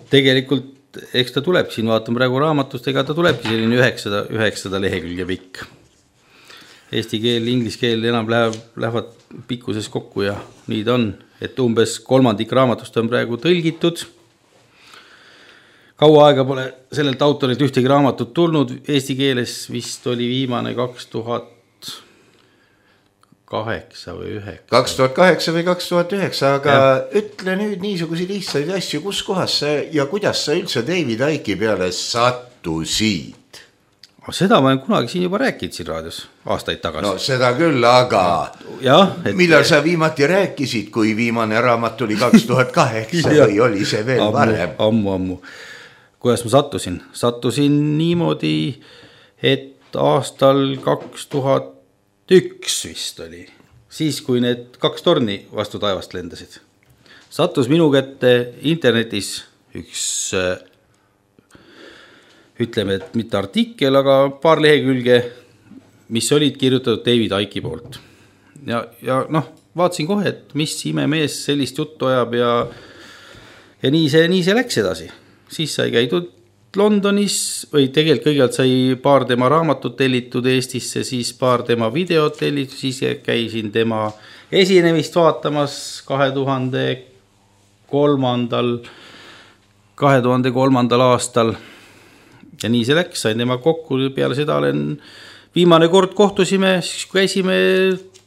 Tegelikult, eks ta tuleb, siin vaatan praegu raamatust, ega ta tulebki selline 900 lehekülge pikk. Eesti keel, inglise keel enam lähevad pikkuses kokku ja nii ta on. Et umbes 3 raamatust on praegu tõlgitud. Kaua aega pole sellelt autorilt ühtegi raamatut tulnud. Eesti keeles vist oli viimane 2008 või 9. 2008 või 2009, aga ütle nüüd niisugusi lihtsaid asju, kus kohas sa ja kuidas sa üldse David Icke'i peale sattusid? Seda ma olen kunagi siin juba rääkinud siin raadios aastaid tagasi. No seda küll, aga millal sa viimati rääkisid, kui viimane raamat oli 2008 või oli see veel varem? Ammu. Kuidas ma sattusin? Sattusin niimoodi, et aastal 2001 vist oli. Siis, kui need 2 torni vastu taevast lendasid. Sattus minu kätte internetis üks ütleme, et mitte artikkel, aga paar lehekülge, mis olid kirjutatud David Icke'i poolt. Ja vaatasin kohe, et mis imemees sellist juttu ajab ja nii see läks edasi. Siis sai käidud Londonis või tegelikult kõigepealt sai paar tema raamatut tellitud Eestisse, siis paar tema videot tellitud, siis käisin tema esinemist vaatamas 2003. aastal. Ja nii see läks, sain tema kokku, peale seda viimane kord kohtusime, siis kui käisime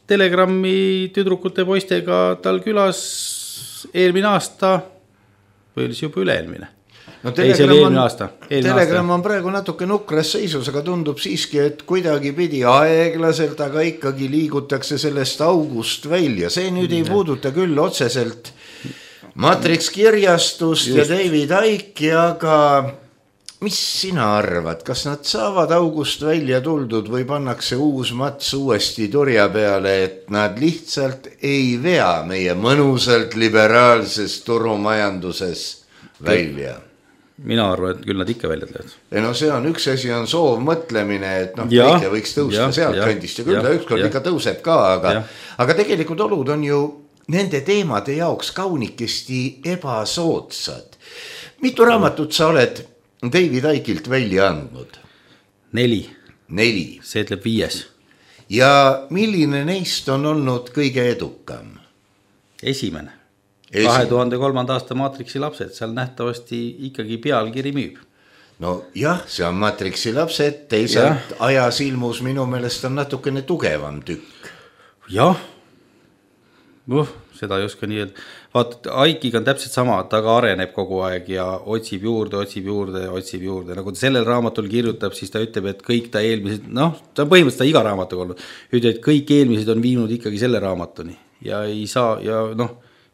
Telegrami tüdrukute poistega tal külas eelmine aasta, või oli see juba üle-eelmine? No Telegram on praegu natuke nukras seisus, aga tundub siiski, et kuidagi pidi aeglaselt, aga ikkagi liigutakse sellest august välja. See nüüd ei puuduta küll otseselt Matrix kirjastust ja David Icke'i, aga mis sina arvad, kas nad saavad august välja tuldud või pannakse uus mats uuesti turja peale, et nad lihtsalt ei vea meie mõnusalt liberaalses turumajanduses välja? Mina arvan, et küll nad ikka välja teevad. No see on üks asi, on soov mõtlemine, et kõike võiks tõusta sealt kandist ja küll ta ükskord ikka tõuseb ka, aga tegelikult olud on ju nende teemade jaoks kaunikesti ebasoodsad. Mitu raamatut sa oled David Icke'ilt välja andnud? 4. See ütleb 5. Ja milline neist on olnud kõige edukam? Esimene. 2003. aasta Matrixi lapsed, seal nähtavasti ikkagi pealkiri müüb. No jah, see on Matrixi lapsed, teisalt ajas ilmus minu meelest on natukene tugevam tükk. Jah, seda ei oska nii öelda. Vaata, Icke'iga on täpselt sama, ta ka areneb kogu aeg ja otsib juurde. Nagu ta sellel raamatul kirjutab, siis ta ütleb, et kõik ta eelmised, ta on põhimõtteliselt iga raamatuga olnud, ütleb, et kõik eelmised on viinud ikkagi selle raamatuni ja ei saa, ja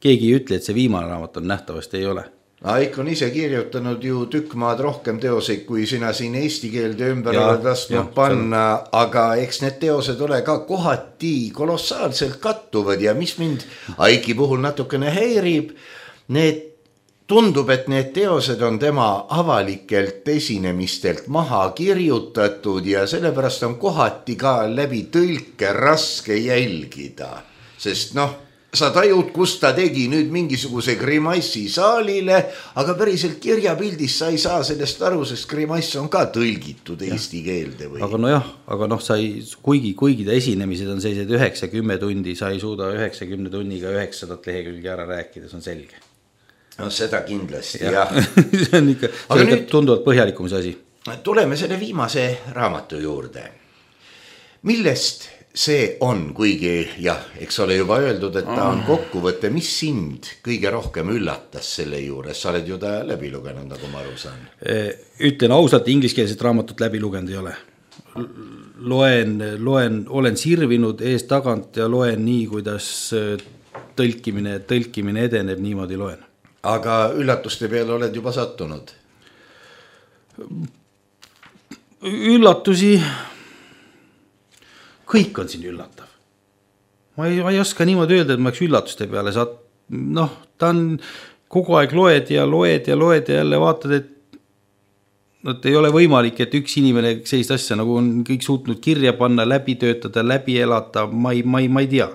keegi ei ütle, et see viimane raamat on nähtavasti ei ole. Icke on ise kirjutanud ju tükk maad rohkem teoseid, kui sina siin eesti keelde ümber oled lasknud panna, aga eks need teosed ole ka kohati kolossaalselt kattuvad ja mis mind Icke'i puhul natukene häirib, tundub, et need teosed on tema avalikelt esinemistelt maha kirjutatud ja sellepärast on kohati ka läbi tõlke raske jälgida, sest sa tajud, kus ta tegi nüüd mingisuguse grimassi saalile, aga päriselt kirjapildis sa ei saa sellest aru, sest grimass on ka tõlgitud eesti keelde või? Aga nojah, aga sa ei, kuigi ta esinemised on sellised 9-10 tundi, sa ei suuda 90 tunniga 900 lehekülge ära rääkida, see on selge. No seda kindlasti, jah. See on ikka tunduvalt põhjalikum see asi. Tuleme selle viimase raamatu juurde. Millest see on, kuigi jah, eks ole juba öeldud, et ta on kokkuvõte, mis sind kõige rohkem üllatas selle juures? Sa oled ju ta läbi lugenud, nagu ma aru saan. Ütlen ausalt, ingliskeelset raamatut läbi lugenud ei ole. Olen sirvinud ees tagant ja loen nii, kuidas tõlkimine edeneb, niimoodi loen. Aga üllatuste peale oled juba sattunud? Üllatusi, kõik on siin üllatav. Ma ei oska niimoodi öelda, et ma oleks üllatuste peale ta on kogu aeg loed ja jälle vaatad, et ei ole võimalik, et üks inimene sellist asja nagu on kõik suutnud kirja panna, läbi töötada, läbi elata, ma ei tea.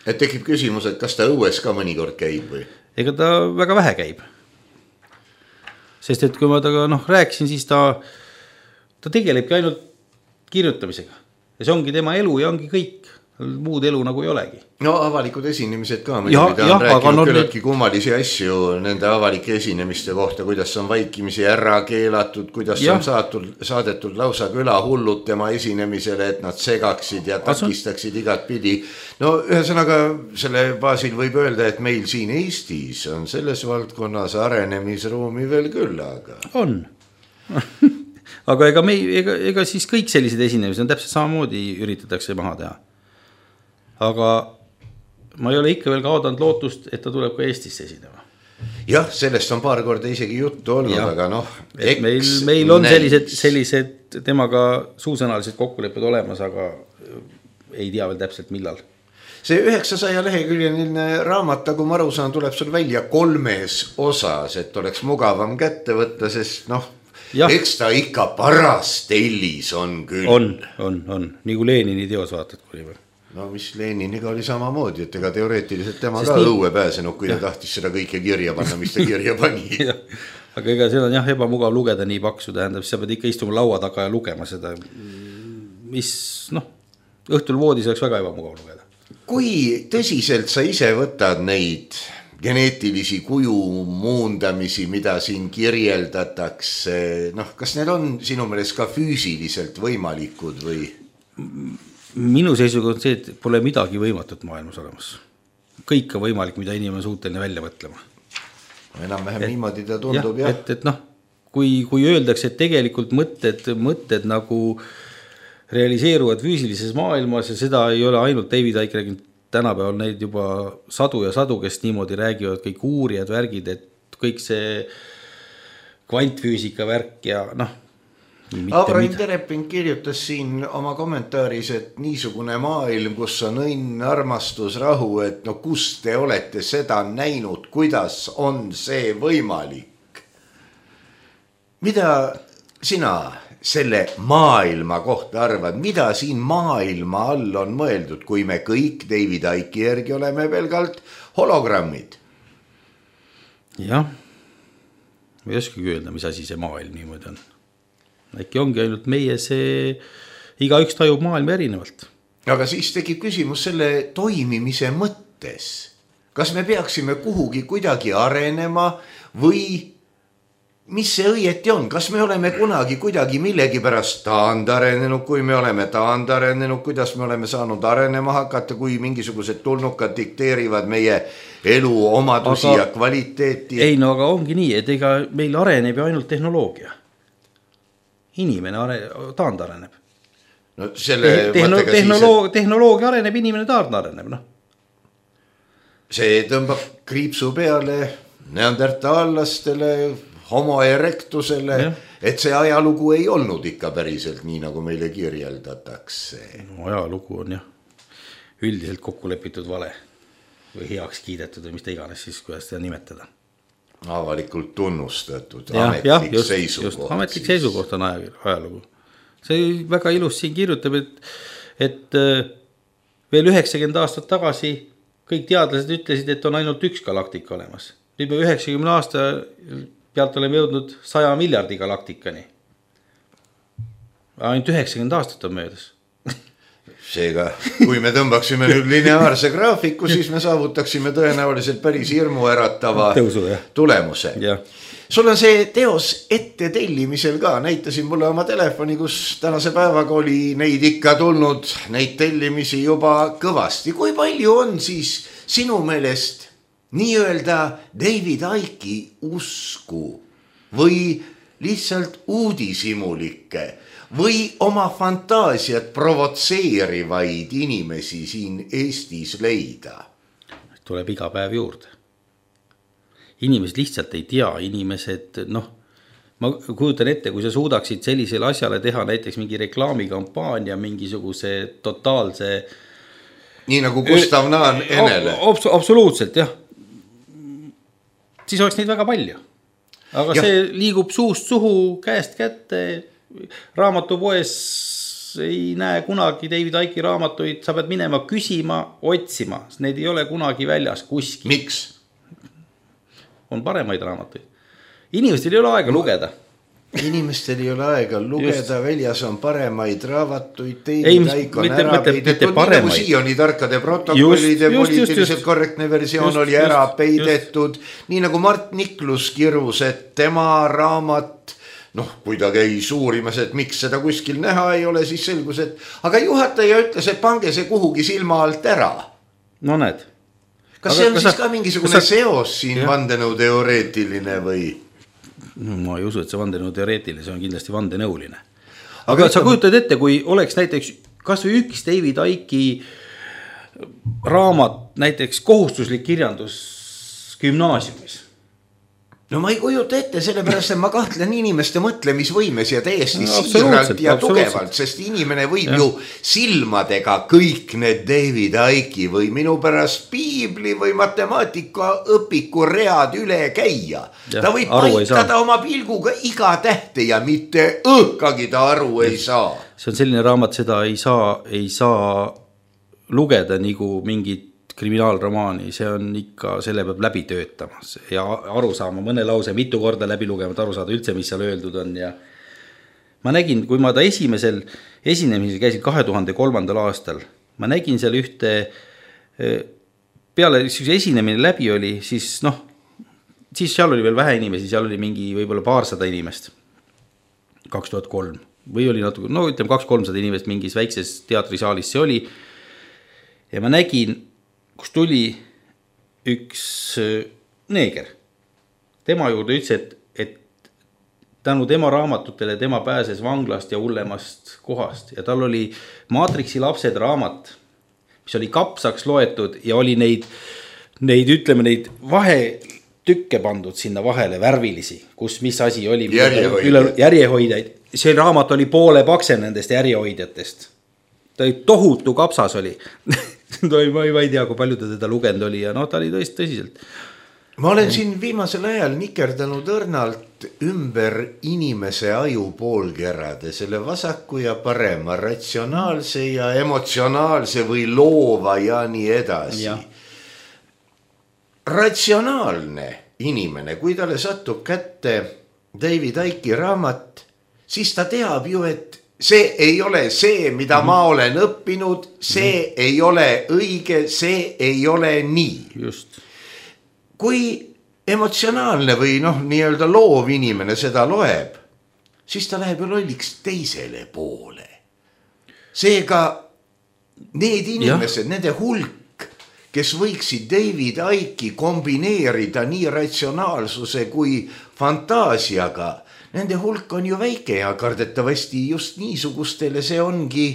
Et tekib küsimus, et kas ta õues ka mõnikord käib või? Ega ta väga vähe käib. Sest et kui ma taga rääkisin, siis ta tegelebki ainult kirjutamisega. Ja see ongi tema elu ja ongi kõik. Muud elu nagu ei olegi. No avalikud esinemised ka. Ta on rääkinud küllaltki kummalisi asju nende avalike esinemiste kohta, kuidas on vaikimisi ära keelatud, kuidas on saadetud lausa külahullud tema esinemisele, et nad segaksid ja takistaksid igat pidi. No ühesõnaga selle baasil võib öelda, et meil siin Eestis on selles valdkonnas arenemisruumi veel küll, aga... On. Aga ega siis kõik sellised esinemised on täpselt samamoodi üritatakse maha teha. Aga ma ei ole ikka veel kaotanud lootust, et ta tuleb ka Eestisse esinema. Jah, sellest on paar korda isegi juttu olnud, aga meil on sellised temaga suusõnalised kokkulepped olemas, aga ei tea veel täpselt millal. See 900 leheküljeline raamat, nagu ma aru saan, tuleb sul välja 3 osas, et oleks mugavam kätte võtta, sest eks ta ikka paras tellis on küll. On. Nii kui Lenini teos vaatad kuni või. No mis Leniniga oli samamoodi, et ega teoreetiliselt tema ka õue pääsenud, kui ta tahtis seda kõike kirja panna, mis ta kirja pani. Aga ega seda on ebamugav lugeda nii paksu, tähendab, sa pead ikka istuma laua taga ja lugema seda, mis õhtul voodis oleks väga ebamugav lugeda. Kui tõsiselt sa ise võtad neid geneetilisi kuju muundamisi, mida siin kirjeldatakse, kas need on sinu meelest ka füüsiliselt võimalikud või? Minu seisuga on see, et pole midagi võimatut maailmas olemas. Kõik on võimalik, mida inimene suuteline välja mõtlema. Enam-vähem niimoodi ta tundub, jah. Et kui öeldakse, et tegelikult mõtted nagu realiseeruvad füüsilises maailmas ja seda ei ole ainult David Icke rääginud, tänapäeval neid juba sadu ja sadu, kes niimoodi räägivad, kõik uurijad värgid, et kõik see kvantfüüsika värk ja Abraham Terepin kirjutas siin oma kommentaaris, et niisugune maailm, kus on õnn, armastus, rahu, et kus te olete seda näinud, kuidas on see võimalik? Mida sina selle maailma kohta arvad? Mida siin maailma all on mõeldud, kui me kõik David Icke järgi oleme pelgalt hologrammid? Jah, ei oskagi öelda, mis asi see maailm niimoodi on. Äkki ongi ainult meie see, igaüks tajub maailma erinevalt. Aga siis tekib küsimus selle toimimise mõttes. Kas me peaksime kuhugi kuidagi arenema või mis see õieti on? Kas me oleme kunagi kuidagi millegi pärast taandarenenud, kui me oleme taandarenenud, kuidas me oleme saanud arenema hakata, kui mingisugused tulnukad dikteerivad meie elu omadusi ja kvaliteeti? Ei, aga ongi nii, et ega meil areneb ju ainult tehnoloogia. Inimene taandareneb. Tehnoloogia areneb, inimene taandareneb. See tõmbab kriipsu peale neandertaallastele, homo erectusele, et see ajalugu ei olnud ikka päriselt nii, nagu meile kirjeldatakse. Ajalugu on üldiselt kokku lepitud vale või heaks kiidetud või mis ta iganes siis, kuidas seda nimetada. Avalikult tunnustatud ametlik seisukoht. Ametlik seisukoht on ajalugu. See väga ilus siin kirjutab, et veel 90 aastat tagasi kõik teadlased ütlesid, et on ainult üks galaktika olemas. Nüüd me 90 aasta pealt oleme jõudnud 100 miljardi galaktikani. Ainult 90 aastat on möödas. Seega, kui me tõmbaksime nüüd lineaarse graafiku, siis me saavutaksime tõenäoliselt päris hirmuäratava tulemuse. Sul on see teos ette tellimisel ka, näitasin mulle oma telefoni, kus tänase päevaga oli neid ikka tulnud, neid tellimisi juba kõvasti. Kui palju on siis sinu meelest nii-öelda David Icke'i usku või lihtsalt uudishimulikke või oma fantaasiat provotseerivaid inimesi siin Eestis leida? Tuleb iga päev juurde. Inimesed lihtsalt ei tea, inimesed, ma kujutan ette, kui sa suudaksid sellisele asjale teha näiteks mingi reklaamikampaania, mingisuguse totaalse... Nii nagu Gustav Naan Enele. Absoluutselt, jah. Siis oleks neid väga palju. Aga see liigub suust suhu, käest kätte... Raamatupoes ei näe kunagi David Icke'i raamatuid, sa pead minema küsima, otsima, need ei ole kunagi väljas kuskil. Miks? On paremaid raamatuid. Inimestel ei ole aega lugeda. Inimestel ei ole aega lugeda, väljas on paremaid raamatuid, David Icke on ära peidetud, nii nagu Sioni tarkade protokollide poliitiliselt korrektne versioon oli ära peidetud, nii nagu Mart Niklus kirus, et tema raamat kui ta käis uurimas, et miks seda kuskil näha ei ole, siis selgus, et aga juhataja ütles, et pange see kuhugi silma alt ära. No näed. Kas see on siis ka mingisugune seos siin vandenõuteoreetiline või? Ma ei usu, et see vandenõuteoreetiline, see on kindlasti vandenõuline. Aga sa kujutad ette, kui oleks näiteks kas või üks David Icke'i raamat, näiteks kohustuslik kirjandus gümnaasiumis. No ma ei kujuta ette, sellepärast, et ma kahtlen inimeste mõtlemisvõimes ja täiesti siiralt ja tugevalt, sest inimene võib ju silmadega kõik need David Icke'i või minu pärast piibli või matemaatika õpiku read üle käia. Ta võib paikada oma pilguga iga tähte ja mitte õhkagi ta aru ei saa. See on selline raamat, seda ei saa lugeda nagu mingit kriminaalromaani, see on ikka, selle peab läbi töötama ja aru saama mõne lause mitu korda läbi lugema, aru saada üldse, mis seal öeldud on. Ja ma nägin, kui ma ta esimesel esinemisel käisin 2003. aastal, ma nägin seal ühte, peale esinemine läbi oli, siis siis seal oli veel vähe inimesi, seal oli mingi võib-olla 200 inimest, 2003, või oli natuke, ütleme 200-300 inimest mingis väikses teatrisaalis see oli, ja ma nägin, kus tuli üks neeger. Tema juurde ütles, et tänu tema raamatutele tema pääses vanglast ja hullemast kohast. Ja tal oli Maatriksi lapsed raamat, mis oli kapsaks loetud ja oli neid vahetükke pandud sinna vahele värvilisi, kus mis asi oli. Järjehoidjaid. See raamat oli poole paksem nendest järjehoidjatest. Ta oli tohutu kapsas oli. Ma ei tea, kui palju ta teda lugenud oli ja ta oli tõsiselt. Ma olen siin viimasel ajal nikerdanud õrnalt ümber inimese aju poolkerade, selle vasaku ja parema, ratsionaalse ja emotsionaalse või loova ja nii edasi. Ja. Ratsionaalne inimene, kui talle satub kätte David Icke'i raamat, siis ta teab ju, et see ei ole see, mida ma olen õppinud, see ei ole õige, see ei ole nii. Just. Kui emotsionaalne või nii-öelda loov inimene seda loeb, siis ta läheb ju lolliks teisele poole. Seega need inimesed, nende hulk, kes võiksid David Icke'i kombineerida nii ratsionaalsuse kui fantaasiaga, nende hulk on ju väike ja kardetavasti just niisugustele see ongi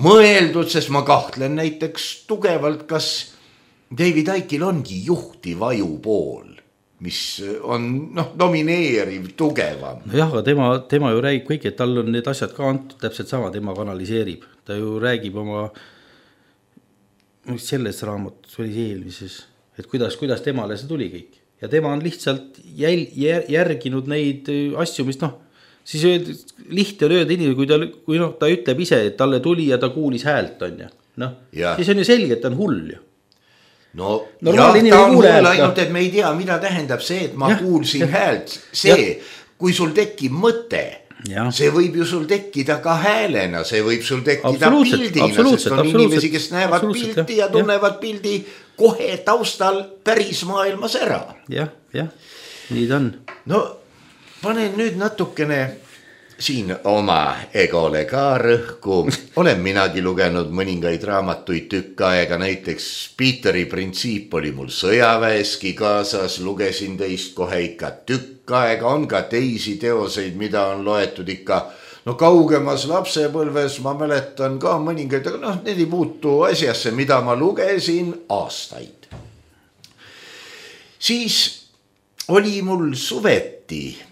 mõeldud, sest ma kahtlen näiteks tugevalt, kas David Icke'il ongi juhtiv ajupool, mis on domineeriv, tugevam. Jah, aga tema ju räägib kõik, et tal on need asjad ka antud täpselt sama, tema kanaliseerib. Ta ju räägib oma selles raamat, see oli eelmises, et kuidas temale see tuli kõik. Ja tema on lihtsalt järginud neid asju, mis siis lihtne on öelda inimene, kui ta ütleb ise, et talle tuli ja ta kuulis häält on ja. Siis on ju selge, et ta on hull ju. no Normaalne jah, ta on kuule, hull ainult, et me ei tea, mida tähendab see, et ma kuulsin häält. See, kui sul tekib mõte, see võib ju sul tekkida ka häälena, see võib sul tekkida pildina, sest on inimesi, kes näevad pildi ja tunnevad pildi kohe taustal päris maailmas ära. Jah, nii ta on. No panen nüüd natukene siin oma egole ka rõhku. Olen minagi lugenud mõningaid raamatuid tükk aega, näiteks Peteri printsiip oli mul sõjaväeski kaasas, lugesin teist kohe ikka tükk aega, on ka teisi teoseid, mida on loetud ikka kaugemas lapsepõlves, ma mäletan ka mõningaid, aga need ei puutu asjasse, mida ma lugesin aastaid. Siis oli mul suveti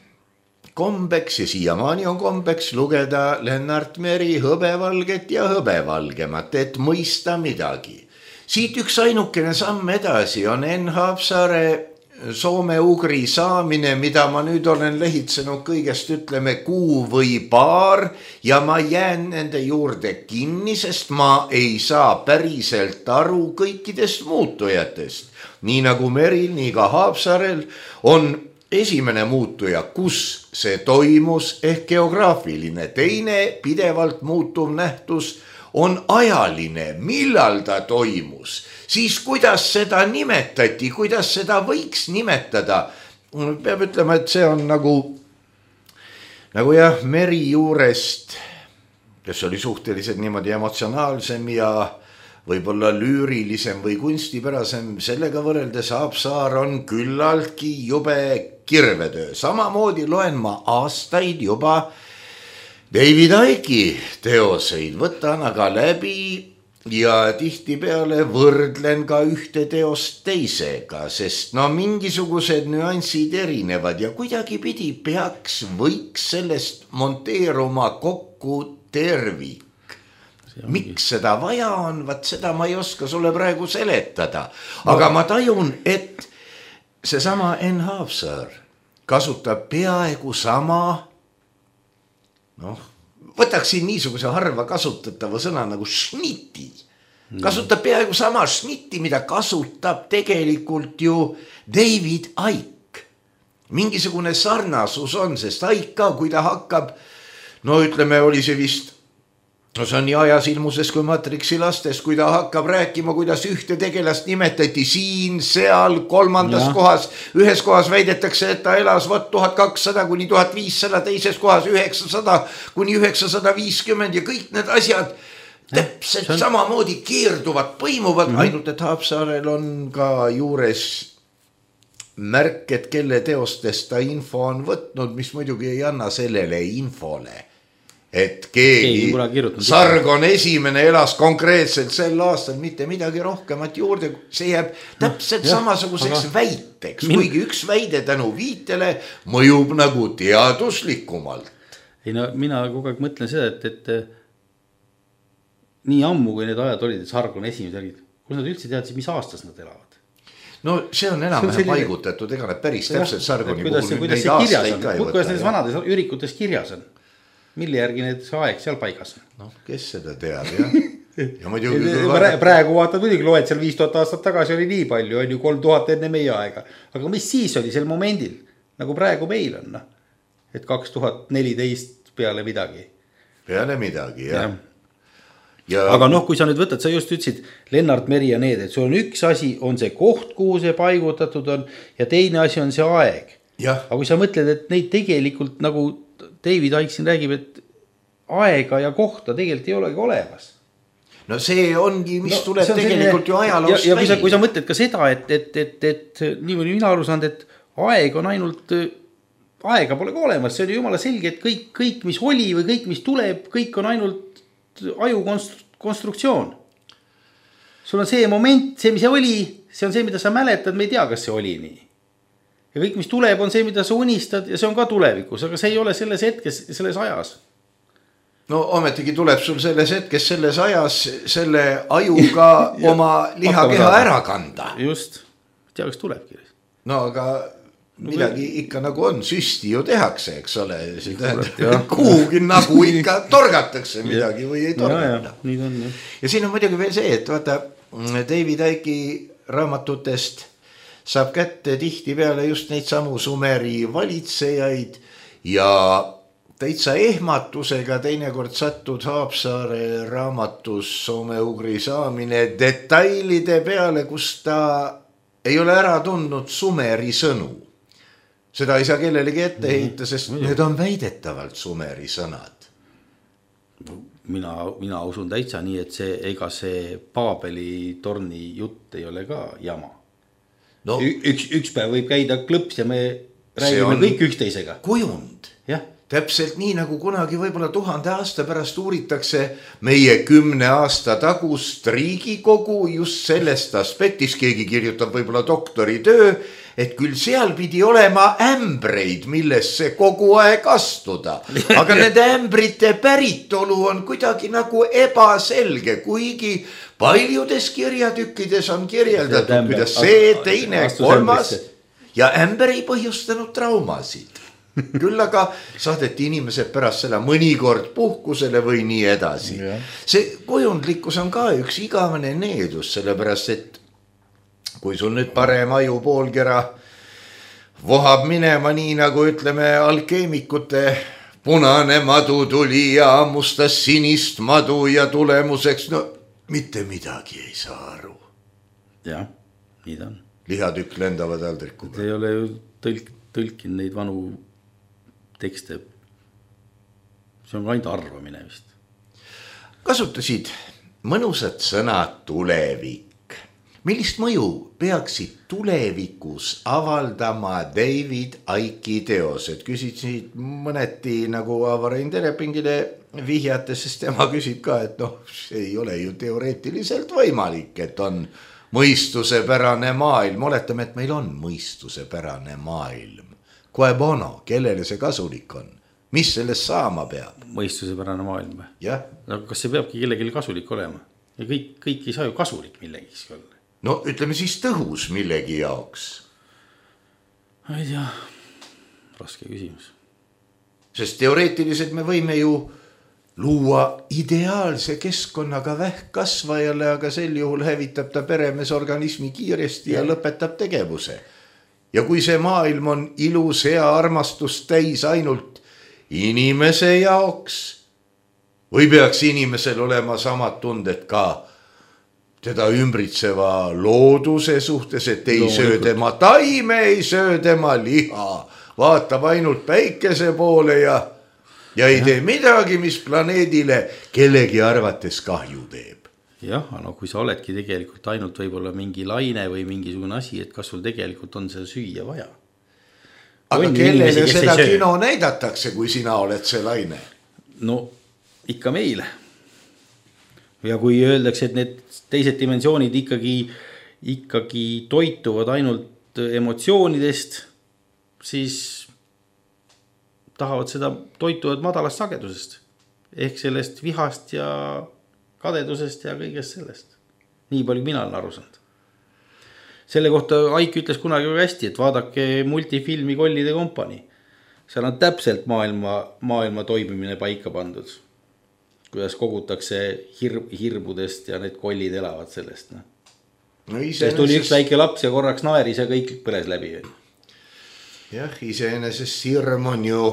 kombeks ja siiamaani on kombeks lugeda Lennart Meri Hõbevalget ja Hõbevalgemat, et mõista midagi. Siit üks ainukene samm edasi on Enn Haapsaare soome-ugri saamine, mida ma nüüd olen lehitsenud kõigest ütleme kuu või paar ja ma jään nende juurde kinni, sest ma ei saa päriselt aru kõikidest muutujatest. Nii nagu Meril, nii ka Haapsaarel on esimene muutuja, kus see toimus ehk geograafiline, teine pidevalt muutuv nähtus on ajaline, millal ta toimus, siis kuidas seda nimetati, kuidas seda võiks nimetada. Peab ütlema, et see on nagu jah, Meri juurest, kes oli suhteliselt niimoodi emotsionaalsem ja võib-olla lüürilisem või kunstipärasem, sellega võrreldes Haapsaar on küllaltki jube kirvetöö. Samamoodi loen ma aastaid juba David Icke'i teoseid, võtan aga läbi ja tihtipeale võrdlen ka ühte teost teisega, sest mingisugused nüansid erinevad ja kuidagi pidi võiks sellest monteeruma kokku tervik. Miks seda vaja on, seda ma ei oska sulle praegu seletada, aga ma tajun, et seesama Enn Haapsaar kasutab peaaegu sama, võtaksin niisuguse harva kasutatava sõna nagu šniti. Kasutab peaaegu sama šniti, mida kasutab tegelikult ju David Icke. Mingisugune sarnasus on, sest Icke ka, kui ta hakkab, ütleme, oli see vist, see on nii ajas ilmuses kui Matrixi lastes, kui ta hakkab rääkima, kuidas ühte tegelast nimetati siin, seal, kolmandas kohas, ühes kohas väidetakse, et ta elas 1200 kuni 1500, teises kohas 900 kuni 950 ja kõik need asjad täpselt samamoodi keerduvad, põimuvad, ainult et Haapsaarel on ka juures märk, et kelle teostest ta info on võtnud, mis muidugi ei anna sellele infole. Et keegi Sargon esimene elas konkreetselt sel aastal mitte midagi rohkemat juurde, see jääb täpselt samasuguseks väiteks, kuigi üks väide tänu viitele mõjub nagu teaduslikumalt. Ei mina kogu aeg mõtlen seda, et nii ammu, kui need ajad olid, et Sargon esimesed olid, kus nad üldse teadsid, mis aastas nad elavad? See on enam-vähem paigutatud, ega need päris täpselt Sargoni puhul neid aastaid ka ei võtta. Kuidas need vanades ürikutes kirjas on? Mille järgi need aeg seal paigas on? Kes seda teab, jah? Ja muidugi, praegu vaatad muidugi, loed seal 5000 aastat tagasi oli nii palju, on ju 3000 enne meie aega. Aga mis siis oli sel momendil, nagu praegu meil on, et 2014 peale midagi. Peale midagi, jah. Aga kui sa nüüd võtad, sa just ütlesid Lennart Meri ja need, et sul on üks asi, on see koht, kuhu see paigutatud on ja teine asi on see aeg. Aga kui sa mõtled, et neid tegelikult nagu David Icke siin räägib, et aega ja kohta tegelikult ei olegi olemas. See ongi, mis tuleb tegelikult ju ajaloost välja. Ja kui sa mõtled ka seda, et niimoodi mina aru saanud, et aeg on ainult, aega pole ka olemas, see on ju jumala selge, et kõik, mis oli või kõik, mis tuleb, kõik on ainult aju konstruktsioon. Sul on see moment, see, mis see oli, see on see, mida sa mäletad, me ei tea, kas see oli nii. Ja kõik, mis tuleb, on see, mida sa unistad ja see on ka tulevikus, aga see ei ole selles hetkes, selles ajas. Ometigi tuleb sul selles hetkes, selles ajas, selle ajuga oma lihakeha ära kanda. Just, tea, kas tulebki. Aga midagi ikka nagu on, süsti ju tehakse, eks ole. Kuhugi nagu ikka torgatakse midagi või ei torgata. Nii on, ja siin on muidugi veel see, et vaata, David Icke'i raamatutest saab kätte tihtipeale just neid samu Sumeri valitsejaid ja täitsa ehmatusega teinekord sattud Haapsaare raamatus Soome-Ugri saamine detailide peale, kus ta ei ole ära tundnud Sumeri sõnu. Seda ei saa kellelegi ette heita, sest need on väidetavalt Sumeri sõnad. Mina usun täitsa nii, et ega see Paabeli torni jutt ei ole ka jama. No, üks päev võib käida klõps ja me räägime kõik üksteisega. Kujund. Jah. Täpselt nii, nagu kunagi võib-olla 1000 aasta pärast uuritakse meie 10 aasta tagust Riigikogu just sellest aspektis, keegi kirjutab võib-olla doktoritöö, et küll seal pidi olema ämbreid, millesse kogu aeg astuda. Aga need ämbrite päritolu on kuidagi nagu ebaselge, kuigi paljudes kirjatükkides on kirjeldatud, kuidas see, teine, kolmas ja ämber ei põhjustanud traumasid. Küll aga saadeti inimesed pärast seda mõnikord puhkusele või nii edasi. See kujundlikkus on ka üks igavene needus, sellepärast et kui sul nüüd parem aju poolkera vohab minema nii, nagu ütleme alkeemikute punane madu tuli ja ammustas sinist madu ja tulemuseks, no mitte midagi ei saa aru. Jah, nii ta on. Lihatükk lendavad aldrikuga. Te ei ole ju tõlkinud neid vanu tekste. See on ainult arvamine vist. Kasutasid mõnusad sõnad tulevik. Millist mõju peaksid tulevikus avaldama David Icke'i teosed? Küsisid mõneti nagu Avarain Terepingile vihjate, sest tema küsib ka, et see ei ole ju teoreetiliselt võimalik, et on mõistusepärane maailm. Oletame, et meil on mõistusepärane maailm. Quae bono, kellele see kasulik on? Mis sellest saama peab? Mõistusepärane maailm. Jah. Aga kas see peabki kellelegi kasulik olema? Ja kõik ei saa ju kasulik millegis olla. No ütleme siis tõhus millegi jaoks. Ei tea, raske küsimus. Sest teoreetiliselt me võime ju luua ideaalse keskkonnaga vähkkasvajale, aga sel juhul hävitab ta peremees organismi kiiresti ja lõpetab tegevuse. Ja kui see maailm on ilus, hea, armastust täis ainult inimese jaoks, või peaks inimesel olema samad tunded ka teda ümbritseva looduse suhtes, et ei söö tema taime, ei söö tema liha, vaatab ainult päikese poole ja ei tee midagi, mis planeedile kellegi arvates kahju teeb. Jah, no kui sa oledki tegelikult ainult võib-olla mingi laine või mingisugune asi, et kas sul tegelikult on seda süüa vaja. Aga kellele seda kino näidatakse, kui sina oled see laine? No ikka meile. Ja kui öeldakse, et need teised dimensioonid ikkagi toituvad ainult emotsioonidest, siis tahavad seda toituvad madalast sagedusest. Ehk sellest vihast ja kadedusest ja kõigest sellest. Nii palju mina olen aru saanud. Selle kohta Aik ütles kunagi hästi, et vaadake multifilmi Kollide kompanii. Seal on täpselt maailma toimimine paika pandud. Kuidas kogutakse hirbudest ja need kollid elavad sellest. Sest tuli üks väike laps ja korraks naeris ja kõik põles läbi. Jah, iseenesest hirm on ju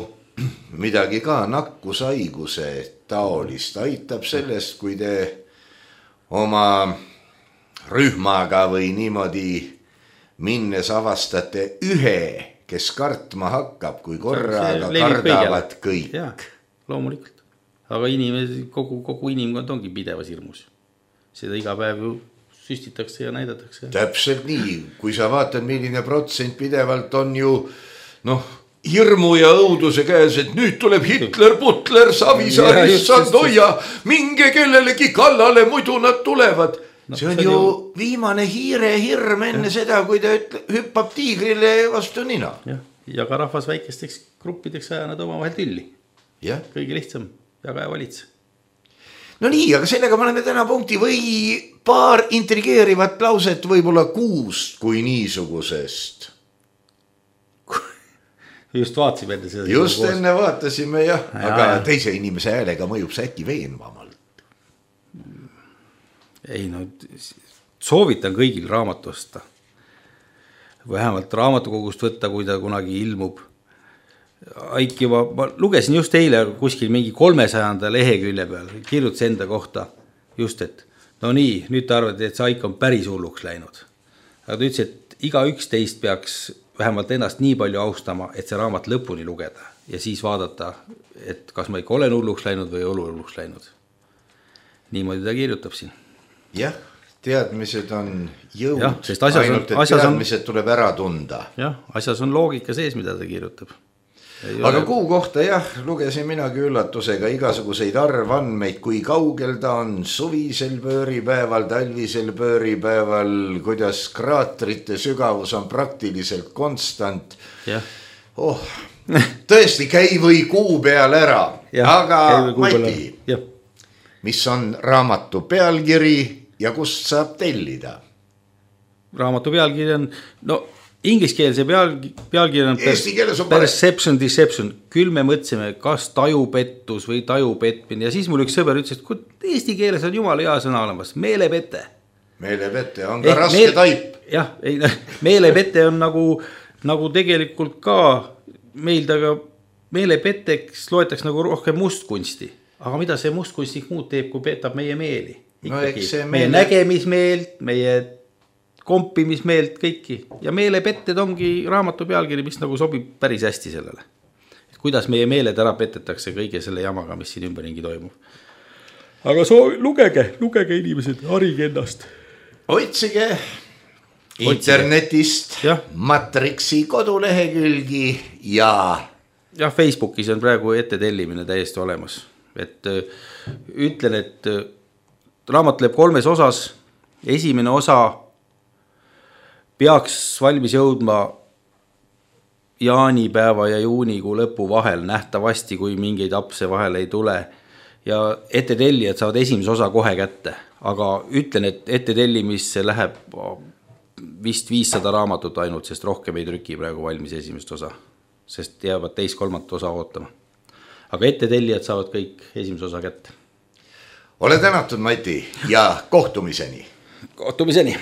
midagi ka nakkushaiguse taolist. Aitab sellest, kui te oma rühmaga või niimoodi minnes avastate ühe, kes kartma hakkab, kui korraga kardavad kõik. Jah, loomulikult. Aga kogu inimkond ongi pidevas hirmus. Seda iga päev ju süstitakse ja näidatakse. Täpselt nii. Kui sa vaatad, milline protsent pidevalt on ju hirmu ja õuduse käes, et nüüd tuleb Hitler, Putler, Savisaar, issand, hoia, minge kellelegi kallale, muidu nad tulevad. See on ju viimane hiire hirm enne seda, kui ta hüppab tiigrile vastu nina. Ja ka rahvas väikesteks gruppideks aja nad oma vahel tülli. Kõige lihtsam. Jaga ja valitse. No nii, aga sellega me oleme täna punkti või paar intrigeerivat lauset võib-olla 6 kui niisugusest. Just vaatasime enne seda. Just enne vaatasime, jah. Aga teise inimese häälega mõjub see äkki veenvamalt. Ei, no soovitan kõigil raamatu osta. Vähemalt raamatukogust võtta, kui ta kunagi ilmub. Aiki ma lugesin just eile kuskil mingi 300 lehekülje peal, kirjutas enda kohta just, et no nii, nüüd ta arvad, et see Aik on päris hulluks läinud. Aga ta ütles, et iga üks teist peaks vähemalt ennast nii palju austama, et see raamat lõpuni lugeda ja siis vaadata, et kas ma ikka olen hulluks läinud või hulluks läinud. Niimoodi ta kirjutab siin. Jah, teadmised on jõud, ja, ainult et teadmised tuleb ära tunda. Jah, asjas on loogika sees, mida ta kirjutab. Aga kuu kohta jah, lugesin minagi üllatusega igasuguseid arvandmeid, kui kaugel ta on suvisel pööripäeval, talvisel pööripäeval, kuidas kraatrite sügavus on praktiliselt konstant. Oh, tõesti, käi või kuu peal ära, aga Mati, mis on raamatu pealkiri ja kust saab tellida? Raamatu pealkiri on, no ingliskeelse pealkiri on Perception Deception. Küll me mõtlesime, kas tajupettus või tajupetmine. Ja siis mul üks sõber ütles, et eesti keeles on jumala hea sõna olemas. Meelepete. Meelepete on ka raske taip. Jah, meelepete on nagu tegelikult ka meil taga meelepeteks loetaks nagu rohkem mustkunsti. Aga mida see mustkunstik muud teeb, kui petab meie meeli? Meie nägemismeelt, meie kompimismeelt kõiki. Ja meelepetted ongi raamatu pealkiri, mis nagu sobib päris hästi sellele. Et kuidas meie meeled ära petetakse kõige selle jamaga, mis siin ümberringi toimub. Aga lugege inimesed, harige ennast. Otsige internetist Matrixi kodulehekülgi ja Facebookis on praegu ettetellimine täiesti olemas. Et ütlen, et raamat läheb 3 osas. Esimene osa peaks valmis jõudma jaanipäeva ja juunikuu lõpu vahel nähtavasti, kui mingeid apse vahel ei tule. Ja ettetellijad saavad esimese osa kohe kätte. Aga ütlen, et ettetellimisse läheb vist 500 raamatut ainult, sest rohkem ei trüki praegu valmis esimest osa. Sest jäävad 2/3 osa ootama. Aga ettetellijad saavad kõik esimese osa kätte. Ole tänatud, Mati, ja kohtumiseni. Kohtumiseni.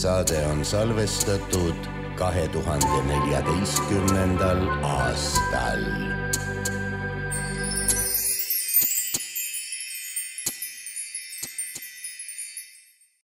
Saade on salvestatud 2014. aastal.